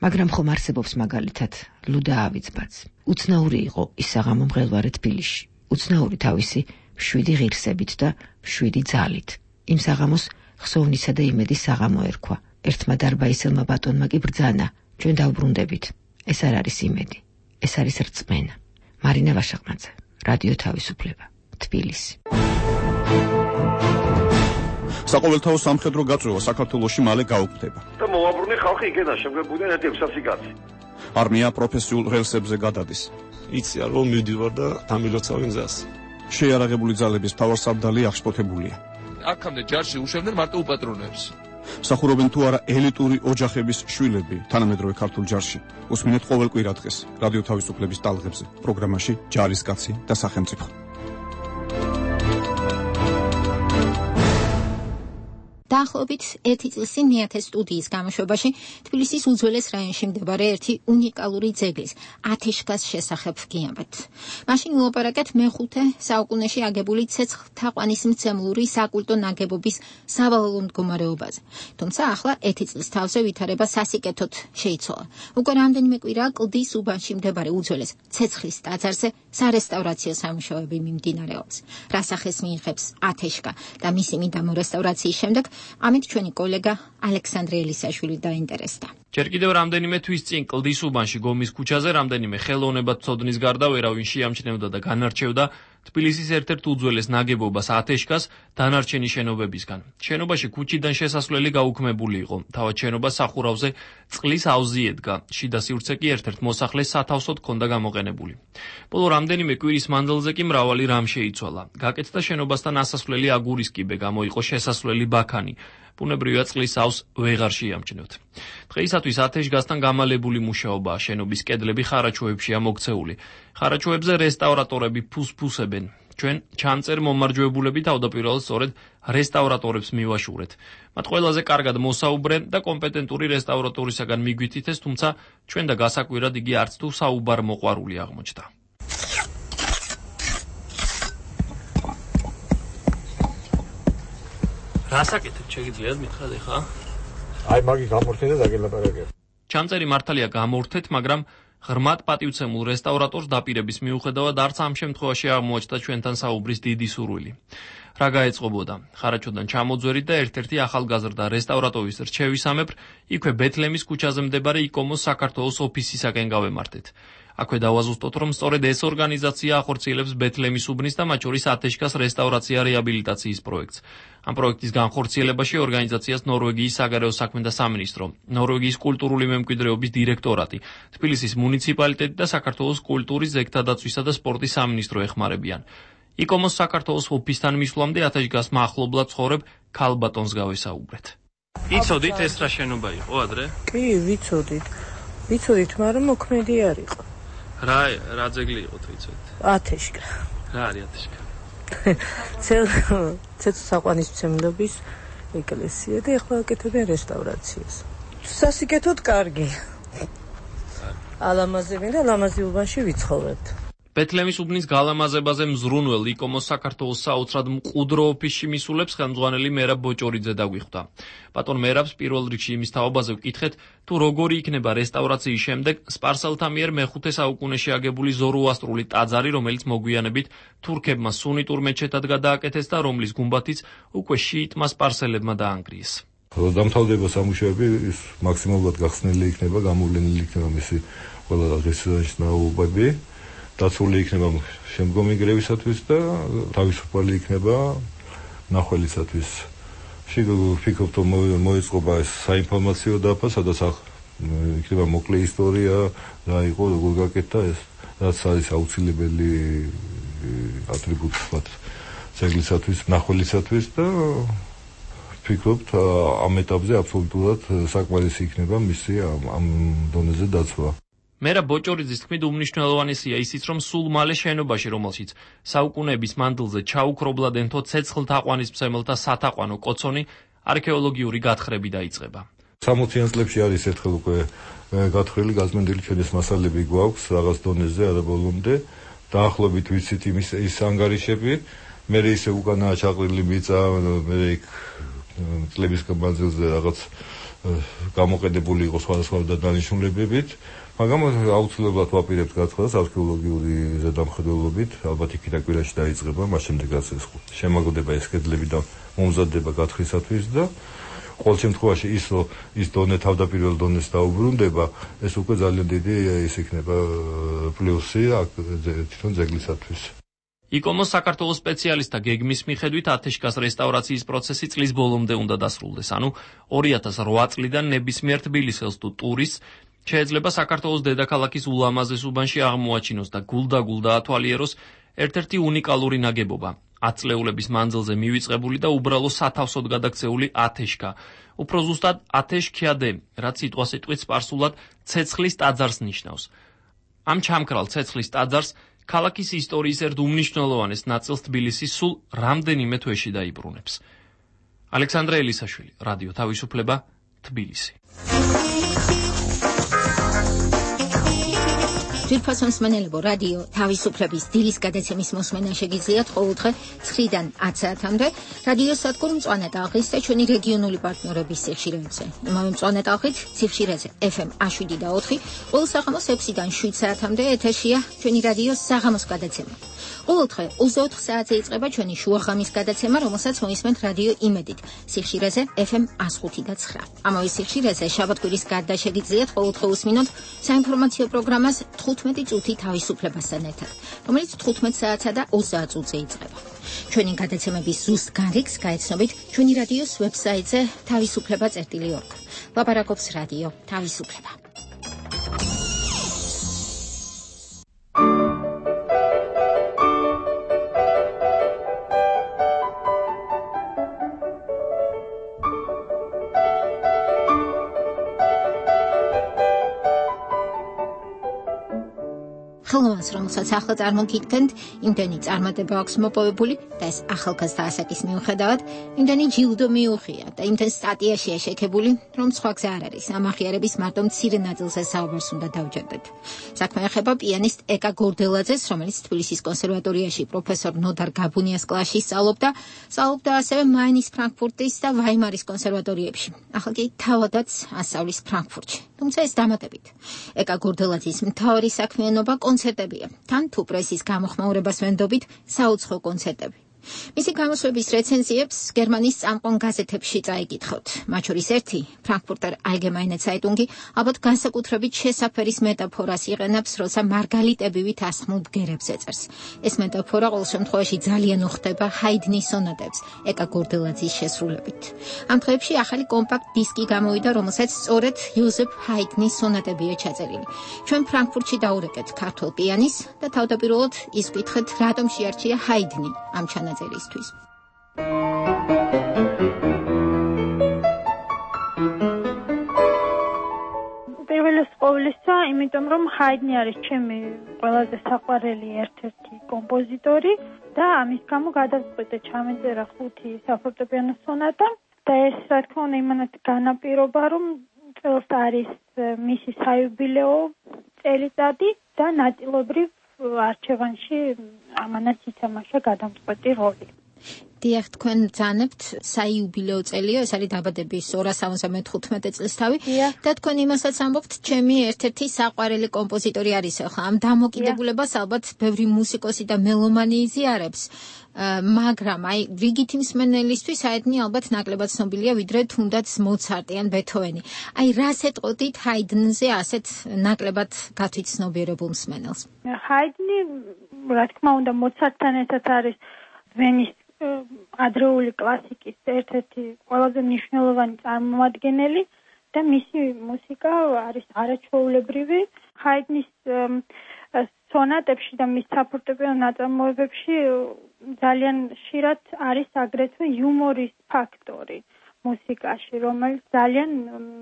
[SPEAKER 5] მაგრამ ხომ არსებობს მაგალითად ლუდა ავიძბაც. უცნაური იყო ის საღამო მღელვარე თბილისში. უცნაური თავისი 7 ღირსებით და 7 ძალით. იმ საღამოს ხსოვნისა და იმედის საღამო ერქვა. ერთმა დარბაისელმა ბატონმა კი ბრძანა, ჩვენ დავბრუნდებით. ეს არ არის იმედი, ეს არის რწმენა. მარინა ვაშაყმაძე, რადიო თავისუფლება, თბილისი.
[SPEAKER 20] საყოველთაო სამხედრო გაწვევა საქართველოში მალე გაუქმდება.
[SPEAKER 21] და მოაბრუნე ხალხი იქიდან შემგებოდნენ 1.600 კაცი.
[SPEAKER 20] არმია პროფესიულ ღირსებზე გადადის.
[SPEAKER 23] იციან რომ მივდივარ და დამილოცავენ გზას.
[SPEAKER 20] შეიარაღებული ძალების მთავარსარდალი აღშფოთებულია.
[SPEAKER 24] აქამდე ჯარში უშევდნენ მარტო უპატრონებს.
[SPEAKER 20] სახურობენ თუ არა ელიტური ოჯახების შვილები თანამედროვე ქართულ ჯარში. უსმინეთ ყოველ კვირა დღეს რადიო თავისუფლების ტალღებზე პროგრამაში ჯარისკაცი და სახელმწიფო.
[SPEAKER 1] დაახლოებით 1 წლის წინ მეათეს სტუდიის გამოშვებაში თბილისის უძველეს რაიონში მდებარე ერთი უნიკალური ძეგლის ათეშკას შესახებ ვგიამბეთ. მაშინ ვილაპარაკეთ მე-5 საუკუნეში აგებული ცეცხლთაყვანის მცემლური საკულტო ნაგებობის სავალალო მდგომარეობაზე. თუმცა ახლა 1 წლის თავზე ვითარება სასიკეთოდ შეიცვალა. უკვე რამდენიმე კვირაა კლდის უბანში მდებარე უძველეს ცეცხლის ტაძარზე სარესტავრაციო სამუშაოები მიმდინარეობს. რა სახეს მიიღებს ათეშკა და მისი მიდამო რესტავრაციის შემდეგ ამით ჩვენი კოლეგა ალექსანდრე ელისაშვილი დაინტერესდა.
[SPEAKER 6] ჯერ კიდევ რამდენიმე თვის წინ კლდის უბანში გომის ქუჩაზე რამდენიმე ხელოვნებათმცოდნის გარდა ვერავინ შეამჩნევდა და განარჩევდა თბილისის ერთ-ერთ უძველეს ნაგებობას ათეშკას დანარჩენი შენობებისგან. შენობაში ქუჩიდან შესასვლელი გაუქმებული იყო. თავად შენობა სახურავზე წყლის აუზი ედგა. შიდა სივრცე კი ერთ-ერთ მოსახლეს სათავსოდ ჰქონდა გამოყენებული. ბოლო რამდენიმე კვირის მანძილზე კი მრავალი რამ შეიცვალა. გაკეთდა შენობასთან ასასვლელი აგურის კიბე, გამოიყო შესასვლელი ბაქანი. ბუნებრივია წყლის აუზს ვეღარ შეამჩნევთ. დღეისათვის ათეშგასთან გამალებული მუშაობაა. შენობის კედლები ხარაჩოებშია მოქცეული. ხარაჩოებზე რესტავრატორები ფუსფუსებენ. ჩვენ ჩამწერ მომარჯვებულები თავდაპირველად სწორედ რესტავრატორებს მივაშურეთ. მათ ყველაზე კარგად მოსაუბრე და კომპეტენტური რესტავრატორისაგან მიგვითითეს, თუმცა ჩვენ და გასაკვირად იგი არც თუ საუბარ მოყვარული აღმოჩნდა. რასაკეთებ შეგიძლიათ მითხრათ ხა?
[SPEAKER 9] აი მაგი გამორთე და დაგელაპარაკე.
[SPEAKER 6] ჩამწერი მართალია გამორთეთ, მაგრამ ღრმად პატივცემულ რესტავრატორს დაპირების მიუხედავად არც ამ შემთხვევაში აღმოაჩნდა ჩვენთან საუბრის დიდი სურვილი. რა გაეწყობოდა? ხარაჩოდან ჩამოძვერით და ერთ-ერთი ახალგაზრდა რესტავრატორის რჩევისამებრ იქვე ბეთლემის ქუჩაზე მდებარე იკომოს საქართველოს ოფისისაკენ გავემართეთ. აქვე დავაზუსტოთ, რომ სწორედ ეს ორგანიზაცია ახორციელებს ბეთლემის უბნის და მათ შორის ათეშკას რესტავრაცია რეაბილიტაციის პროექტს. ამ პროექტის განხორციელებაში ორგანიზაციას ნორვეგიის საგარეო საქმეთა სამინისტრო, ნორვეგიის კულტურული მემკვიდრეობის დირექტორატი, თბილისის მუნიციპალიტეტი და საქართველოს კულტურის, ზეგთა დაცვისა და სპორტის სამინისტრო ეხმარებიან. იკომოს საქართველოს ოფისთან მისვლამდე ათეშკას მახლობლად ცხოვრებ ქალბატონს გავესაუბრეთ. იცოდით ეს რა შენობა იყო ადრე?
[SPEAKER 7] კი, ვიცოდით, მაგრამ მოქმედი არ იყო.
[SPEAKER 6] რა ძეგლი იყო თვიცოდით?
[SPEAKER 7] ათეშკა.
[SPEAKER 6] რა არის ათეშკა?
[SPEAKER 7] ცეცხლსაყვანისმცემლობის ეკლესია და ეხლა აკეთებენ რესტავრაციას. სასიკეთოდ კარგი. ალამაზები და ლამაზი უბანში ვიცხოვრებთ.
[SPEAKER 6] ბეთლემის უბნის გალამაზებაზე მზრუნველ იკომოს საქართველოს საოცრად მყუდრო ოფისში მისულებს ხელმძღვანელი მერაბ ბოჭორიძე დაგვიხვდა. ბატონ მერაბს პირველ რიგში იმის თაობაზე ვკითხეთ, თუ როგორი იქნება რესტავრაციის შემდეგ სპარსელთა მიერ მეხუთე საუკუნეში აგებული ზოროასტრული ტაძარი, რომელიც მოგვიანებით თურქებმა სუნიტურ მეჩეთად გადააკეთეს და რომლის გუმბათიც უკვე შიიტმა სპარსელებმა დაანგრიეს.
[SPEAKER 9] დამთავრდება სამუშაოები, ის მაქსიმალურად გახსნილი იქნება, გამოვლენილი იქნება მისი ყველა ღირსშესანიშნაობები. დაცული იქნება შემდგომი გრევისათვის და თავისუფალი იქნება ნახველისათვის. ვფიქრობ, რომ მოეწყობა ეს საინფორმაციო დაფა, სადაც იქნება მოკლე ისტორია, რა იყო, როგორ გაკეთდა ეს, რაც არის აუცილებელი ატრიბუტი ვთქვათ ძეგლისათვის, ნახველისათვის და ვფიქრობთ, ამ ეტაპზე აბსოლუტურად საკმარისი იქნება მისი ამ დონეზე დაცვა.
[SPEAKER 6] მერაბ ბოჭორიძის თქმით, უმნიშვნელოვანესია ისიც, რომ სულ მალე შენობაში, რომელშიც საუკუნეების მანძილზე ჩაუქრობლად ენთო ცეცხლთაყვანისმცემელთა სათაყვანო კოცონი, არქეოლოგიური გათხრები დაიწყება.
[SPEAKER 9] 60-იან წლებში არის ერთხელ უკვე გათხრილი, გაზმენდილი ჩვენის მასალები გვაქვს რაღაც დონეზე არაბოლომდე. დაახლოებით ვიცით ის ანგარიშები, მე ისე უკანაა ჩაყრილი მიწა, მე იქ წლების მანძილზე რაღაც გამოყენებული იყო სხვადასხვა დანიშნულებებით. მაგრამ აუცილებლად ვაპირებთ გათხრას არქეოლოგიური ზედამხედველობით, ალბათ იქიდან კვირაში დაიწყება, მას შემდეგაც ეს შემაგდება ეს კედლები და მომზადდება გათხრისათვის და ყოველ შემთხვევაში ის დონე თავდაპირველ დონეს დაუბრუნდება, ეს უკვე ძალიან დიდი ის იქნება პლუსი თვითონ ძეგლისათვის.
[SPEAKER 6] იკომოს საქართველოს სპეციალისტთა გეგმის მიხედვით ათეშკას რესტავრაციის პროცესი წლის ბოლომდე უნდა დასრულდეს, ანუ 2008 წლიდან ნებისმიერ თბილისელს თუ ტურისტს შეიძლება საქართველოს დედაქალაქის ულამაზეს უბანში აღმოაჩინოს და გულდაგულ დაათვალიეროს ერთ-ერთი უნიკალური ნაგებობა, 10 წლეულების მანძილზე მივიწყებული და უბრალო სათავსოდ გადაქცეული ათეშკა. უფრო ზუსტად ათეშქიადე, რაც სიტყვასიტყვით სპარსულად ცეცხლის ტაძარს ნიშნავს. ამ ჩამქრალ ცეცხლის ტაძარს ქალაქის ისტორიის ერთ უმნიშვნელოვანეს ნაწილს თბილისი სულ რამდენიმე თვეში დაიბრუნებს. ალექსანდრე ელისაშვილი, რადიო თავისუფლება, თბილისი.
[SPEAKER 1] ძვირფასო მსმენელებო, რადიო თავისუფლების დილის გადაცემის მოსმენა შეგიძლიათ ყოველდღე 9-დან 10 საათამდე რადიო სადგურ მწვანე ტალღის და ჩვენი რეგიონული პარტნიორების სიხშირეებზე. იმავე მწვანე ტალღით სიხშირეზე FM 7 და 4, ყოველ საღამოს 6-დან 7 საათამდე ეთერშია ჩვენი რადიოს საღამოს გადაცემა. ყოველდღე 24 საათზე იწყება ჩვენი შუაღამის გადაცემა, რომელსაც მოისმენთ რადიო იმედით სიხშირეზე FM 105 და 9. ამავე სიხშირეზე შაბათ-კვირის გარდა შეგიძლიათ ყოველდღე უსმინოთ საინფორმაციო პროგრამას 15 წუთი თავისუფლებასთან ერთად, რომელიც 15 საათსა და 30 წუთზე იწყება. ჩვენი გადაცემების ზუსტ განრიგს გაეცნობით ჩვენი რადიოს ვებსაიტზე თავისუფლება.org. ლაპარაკობს რადიო თავისუფლება. ხელოვანს, რომელსაც ახლა წარმოგიდგენთ, იმდენი წარმატება აქვს მოპოვებული და ეს ახალგაზრდა ასაკის მიუხედავად იმდენი ჯილდო მიუღია და იმდენ სტატიაში შექებული, რომ სხვა გზა არ არის. ამ აღიარების მარტო მცირე ნაწილზე საუბარს უნდა დავჯერდეთ. საქმე ეხება პიანისტ ეკა გორდელაძეს, რომელიც თბილისის კონსერვატორიაში პროფესორ ნოდარ გაბუნიას კლასში სწავლობდა ასევე მაინის, ფრანკფურტის და ვაიმარის კონსერვატორიებში. ახლა კი თავადაც ასწავლის ფრანკფურტში. თუმცა ეს დამატებით. ეკა გორდელაძის მთავარი საქმიანობა კონცერტებია. თან თუ პრესის გამოხმაურებას ვენდობით, საუცხო კონცერტები. მისი გამოსვლების რეცენზიებს გერმანიის წამყვან გაზეთებში წაიკითხავთ. მათ შორის ერთი, ფრანკფურტერ ალგემაინე ცაიტუნგი, ალბათ განსაკუთრებით შესაფერის მეტაფორას იყენებს, როცა მარგალიტებივით ასხმულ ბგერებს ეწერს. ეს მეტაფორა ყოველ შემთხვევაში ძალიან უხდება ჰაიდნის სონატებს, ეკა გორდელაძის შესრულებით. ამ დღეებში ახალი კომპაქტ დისკი გამოვიდა, რომელსაც სწორედ იოზეფ ჰაიდნის სონატებია ჩაწერილი. ჩვენ ფრანკფურტში დაურეკეთ ქართულ პიანის და თავდაპირველად ის ვკითხეთ, რატომ შეარჩია ჰაიდნი ამ ჩანაწერისთვის.
[SPEAKER 2] პირველის ყოვლისა, იმიტომ რომ ჰაიდნი არის ჩემი ყველაზე საყვარელი ერთ-ერთი კომპოზიტორი და ამის გამო გადავწყვიტე ჩამეწერა 5 საფორტეპიანო სონატა და ეს რა თქმა უნდა იმანაც განაპირობა, რომ წელს არის მისი საიუბილეო წელიწადი და ნაწილობრივ არჩევანში ამანაც ითამაშა გადამწყვეტი როლი.
[SPEAKER 1] დიახ, თქვენ ბრძანებთ საიუბილეო წელია, ეს არის დაბადების 275 წლისთავი და თქვენ იმასაც ამბობთ, ჩემი ერთ-ერთი საყვარელი კომპოზიტორი არის. ახლა ამ დამოკიდებულებას ალბათ ბევრი მუსიკოსი და მელომანი იზიარებს, მაგრამ აი რიგითი მსმენელისთვის ჰაიდნი ალბათ ნაკლებად ცნობილია, ვიდრე თუნდაც მოცარტი ან ბეთჰოვენი. აი რას ეტყოდით ჰაიდნზე ასეთ ნაკლებად გათვითცნობიერებულ მსმენელს?
[SPEAKER 2] ჰაიდნი, რა თქმა უნდა, მოცარტთან ერთად არის ვენის ადრეული კლასიკის ერთ-ერთი ყველაზე მნიშვნელოვანი წარმომადგენელი და მისი მუსიკა არის არაჩვეულებრივი. ჰაიდნის სონატებში და მის საფორტეპიანო ნაწარმოებებში ძალიან ხშირად არის აგრეთვე იუმორის ფაქტორი მუსიკაში, რომელიც ძალიან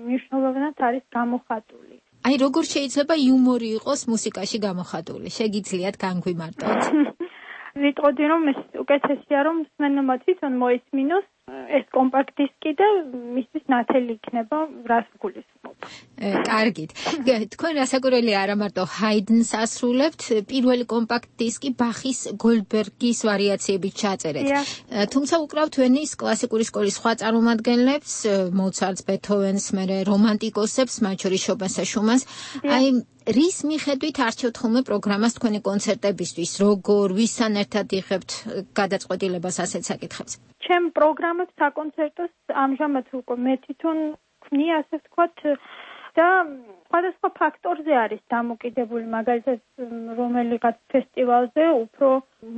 [SPEAKER 2] მნიშვნელოვნად არის გამოხატული.
[SPEAKER 1] აი როგორ შეიძლება იუმორი იყოს მუსიკაში გამოხატული? შეგიძლიათ განგვიმარტოთ?
[SPEAKER 2] ვიტყოდი რომ ეს უკეთესია რომ მსმენელმა თვითონ მოისმინოს ეს კომპაქტ დისკი და მისთვის ნათელი იქნება რას გულისხმობ.
[SPEAKER 1] კარგით. თქვენ რასაკვირველია არა მარტო ჰაიდნს ასრულებთ, პირველი კომპაქტ დისკი ბახის გოლდბერგის ვარიაციებით ჩაწერეთ. თუმცა უკრავთ ვენის კლასიკური სკოლის სხვა წარმომადგენლებს, მოცარტს, ბეთჰოვენს, მერე რომანტიკოსებს, მათ შორის შოპენს და შუმანს. აი რის მიხედვით არჩევთ ხოლმე პროგრამას თქვენი კონცერტებისთვის? როგორ, ვისთან ერთად იღებთ გადაწყვეტილებას ასეთ საკითხებზე?
[SPEAKER 2] ჩემ პროგრამებს საკონცერტოს ამჟამად უკვე მე თვითონ ვქნი, ასე ვთქვათ, და სხვადასხვა ფაქტორზე არის დამოკიდებული, მაგალითად რომელიღაც ფესტივალზე უფრო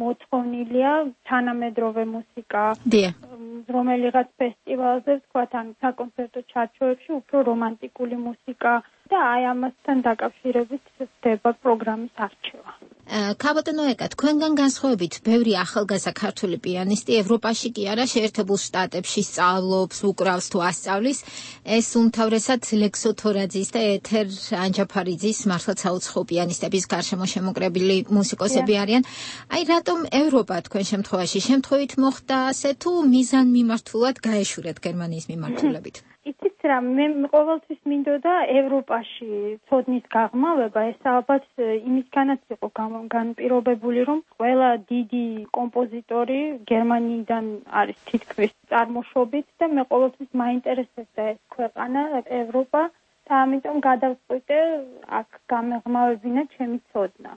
[SPEAKER 2] მოწყოვნილია თანამედროვე მუსიკა, რომელიღაც ფესტივალზე ვთქვათ ან საკონცერტო ჩარჩოებში უფრო რომანტიკული მუსიკა და აი ამასთან დაკავშირებით ხდება პროგრამის არჩევა.
[SPEAKER 1] ქაბატონო ეკა, თქვენგან განსხვავებით, ბევრი ახალგაზრდა ქართული პიანისტი ევროპაში კი არა, შეერთებულ შტატებში სწავლობს, უკრავს თუ ასწავლის. ეს უმთავრესად ლექსო თორაძის და ეთერ ანჯაფარიძის მართლაც საუცხო პიანისტების გარშემო შემოკრებილი მუსიკოსები არიან. აი რატომ ევროპა თქვენ შემთხვევით მოხდა ასე თუ მიზანმიმართულად გაეშურეთ გერმანიის მიმართულებით?
[SPEAKER 2] იცით, რა, მე ყოველთვის მინდოდა ევროპაში ცოდნის გაღრმავება, ეს ალბათ იმისგანაც იყო განპირობებული, რომ ყველა დიდი კომპოზიტორი გერმანიიდან არის თითქმის წარმოშობით და მე ყოველთვის მაინტერესებდა ეს ქვეყანა, ევროპა და ამიტომ გადავწყვიტე აქ გამეღმავებინა ჩემი ცოდნა.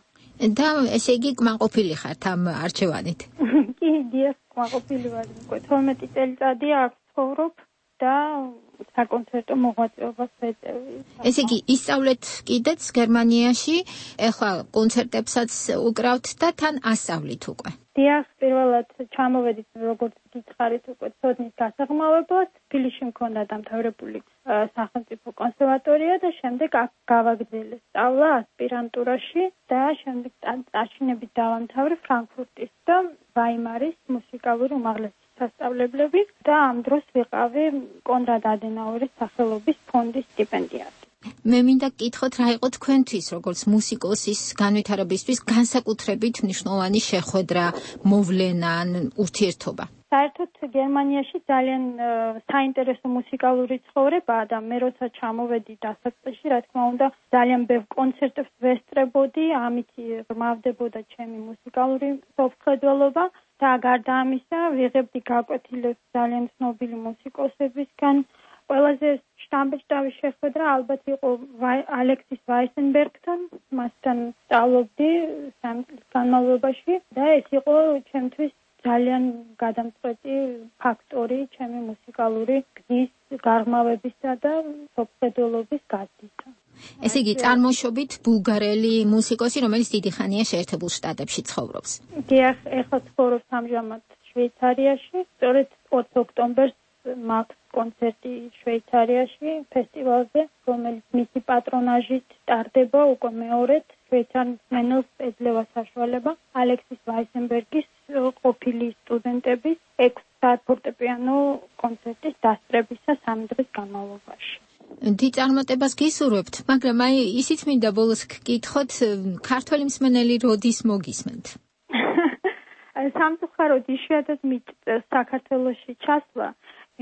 [SPEAKER 1] და ესე იგი კმაყოფილი ხართ ამ არჩევანით?
[SPEAKER 2] კი, დიახ, კმაყოფილი ვარ. 12 წელიწადია აქ ცხოვრობ და საკონცერტო მოღვაწეობას ვეწევი.
[SPEAKER 1] ესე იგი, ისწავლეთ კიდეც გერმანიაში, ეხლა კონცერტებსაც უკრავთ და თან ასწავლით უკვე.
[SPEAKER 2] დიახ, პირველად ჩამოვედით, როგორც გითხარით, უკვე ცოდნის გასაღრმავებლად. თბილისში მქონდა დამთავრებული სახელმწიფო კონსერვატორია და შემდეგ აქ გავაგრძელე სწავლა ასპირანტურაში და შემდეგ წარჩინებით დავამთავრე ფრანკფურტის და ვაიმარის მუსიკალური უმაღლესი სასწავლებლები და ამ დროს ვიყავი კონრად ადენაუერის სახელობის ფონდის სტიპენდიატი.
[SPEAKER 1] მე მინდა გკითხოთ, რა იყო თქვენთვის, როგორც მუსიკოსის განვითარებისთვის განსაკუთრებით მნიშვნელოვანი შეხვედრა, მოვლენა ან ურთიერთობა?
[SPEAKER 2] საერთოდ გერმანიაში ძალიან საინტერესო მუსიკალური ცხოვრებაა და მე როცა ჩამოვედი დასაწყისში, რა თქმა უნდა, ძალიან ბევრ კონცერტებს ვესწრებოდი, ამით ღრმავდებოდა ჩემი მუსიკალური სოფხედველობა და გარდა ამისა ვიღებდი გაკვეთილებს ძალიან ცნობილი მუსიკოსებისგან. ყველაზე შთამბეჭდავი შეხვედრა ალბათ იყო ალექსის ვაისენბერგთან, მასთან სწავლობდი 3 წლის განმავლობაში და ეს იყო ჩემთვის ძალიან გადამწყვეტი ფაქტორი ჩემი მუსიკალური გზის გაღრმავებისა და სოფხედველობის გაზრდისა.
[SPEAKER 1] ესე იგი, წარმოშობით ბულგარელი მუსიკოსი, რომელიც დიდი ხანია შეერთებულ შტატებში ცხოვრობს.
[SPEAKER 2] დიახ, ეხლა ცხოვრობს ამჟამად შვეიცარიაში. სწორედ 20 ოქტომბერს მაქვს კონცერტი შვეიცარიაში ფესტივალზე, რომელიც მისი პატრონაჟით ტარდება უკვე მეორედ. შვეიცარიის მენელს ეძლევა საშუალება ალექსის ვაისენბერგის ყოფილი სტუდენტების 6 საათ ფორტეპიანო კონცერტის დასწრებისა 3 დღის განმავლობაში.
[SPEAKER 1] დიდ წარმატებას გისურვებთ, მაგრამ აი ისიც მინდა ბოლოს გკითხოთ, ქართველი მსმენელი როდის მოგისმენთ?
[SPEAKER 2] სამწუხაროდ იშვიათად მიწევს საქართველოში ჩასვლა,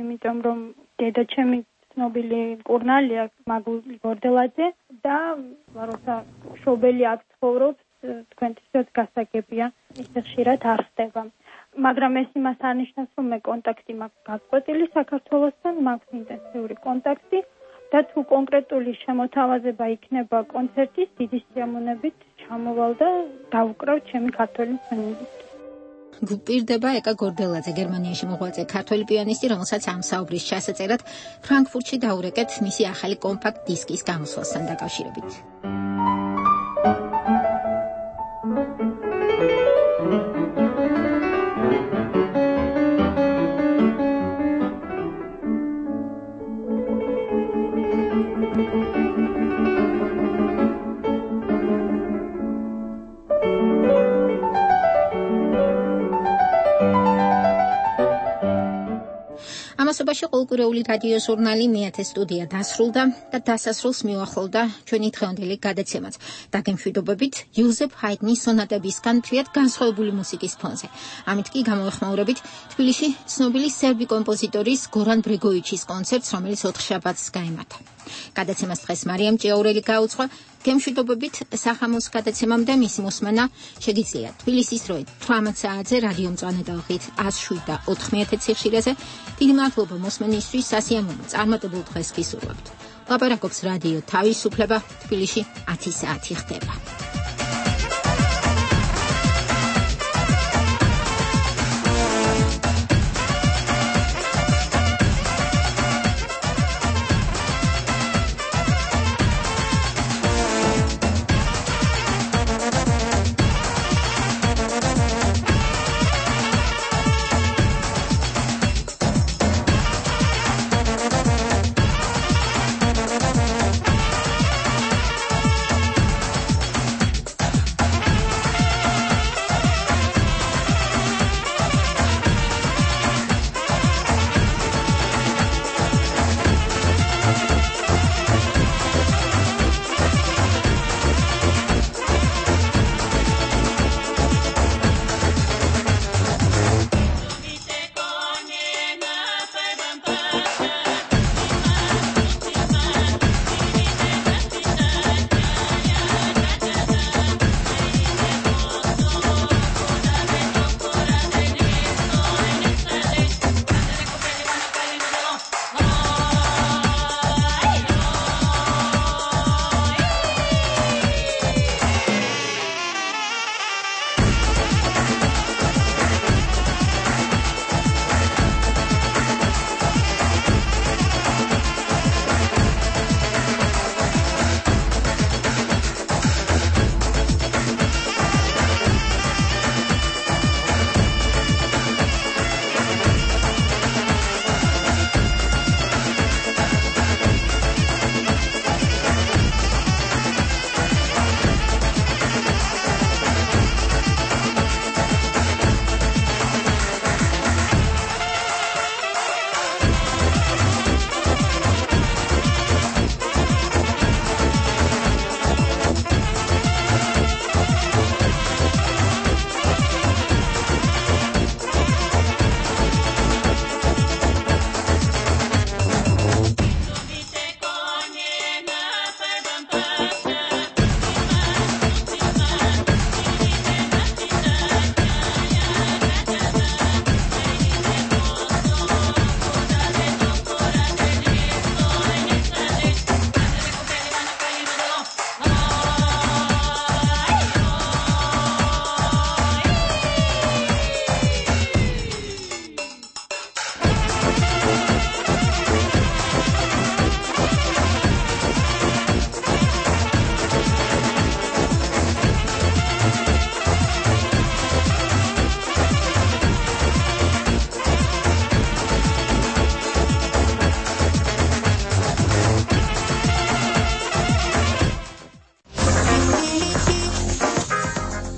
[SPEAKER 2] იმიტომ რომ დედაჩემი ცნობილი მკურნალია მაგული გორდელაძე და როცა მშობელი აქ ცხოვრობს, თქვენთვისაც გასაგებია, ისე ხშირად არ ხდება. მაგრამ ეს იმას არ ნიშნავს, რომ მე კონტაქტი მაქვს გაწყვეტილი საქართველოსთან, მაქვს ინტენსიური კონტაქტი და თუ კონკრეტული შემოთავაზება იქნება კონცერტის, დიდი სიამოვნებით ჩამოვალ და დავუკრავ ჩემი ქართველი მსმენელით.
[SPEAKER 1] გვპირდება ეკა გორდელაძე, გერმანიაში მოღვაწე ქართველი პიანისტი, რომელსაც ამ საუბრის ჩასაწერად ფრანკფურტში დაურეკეთ მისი ახალი კომპაქტ დისკის გამოსვლასთან დაკავშირებით. ამასობაში ყოლკურეული რადიო ჟურნალი მეათე სტუდია დასრულდა და დასასრულს მიუახლოვდა ჩვენი დღევანდელი გადაცემაც. დაგემშვიდობებით იოზეფ ჰაიდნის სონატებისგან მთლად განსხვავებული მუსიკის ფონზე. ამით კი გამოეხმაურებით თბილისში ცნობილი სერბი კომპოზიტორის გორან ბრეგოვიჩის კონცერტს, რომელიც 4 შაბათს გაიმართა. გადაცემას დღეს მარიამ ჭიაურელი გაუძღვა. გემშვიდობებით სახამოს გადაცემამდე მისი მოსმენა შეგიძლიათ თბილისის დროით 18 საათზე რადიო მწვანე ტალღით 107.4 ციხშირეზე. დიდი მადლობა მოსმენისთვის, სასიამოვნო წარმატებულ დღეს გისურვებთ. ლაპარაკობს რადიო თავისუფლება, თბილისში 10 საათი ხდება.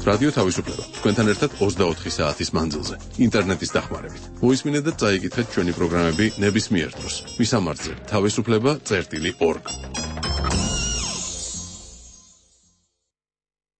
[SPEAKER 4] რადიო თავისუფლება თქვენთან ერთად 24 საათის მანძილზე ინტერნეტის დახმარებით. მოისმინეთ და წაიკითხეთ ჩვენი პროგრამები ნებისმიერ დროს. მისამართზე: თავისუფლება.org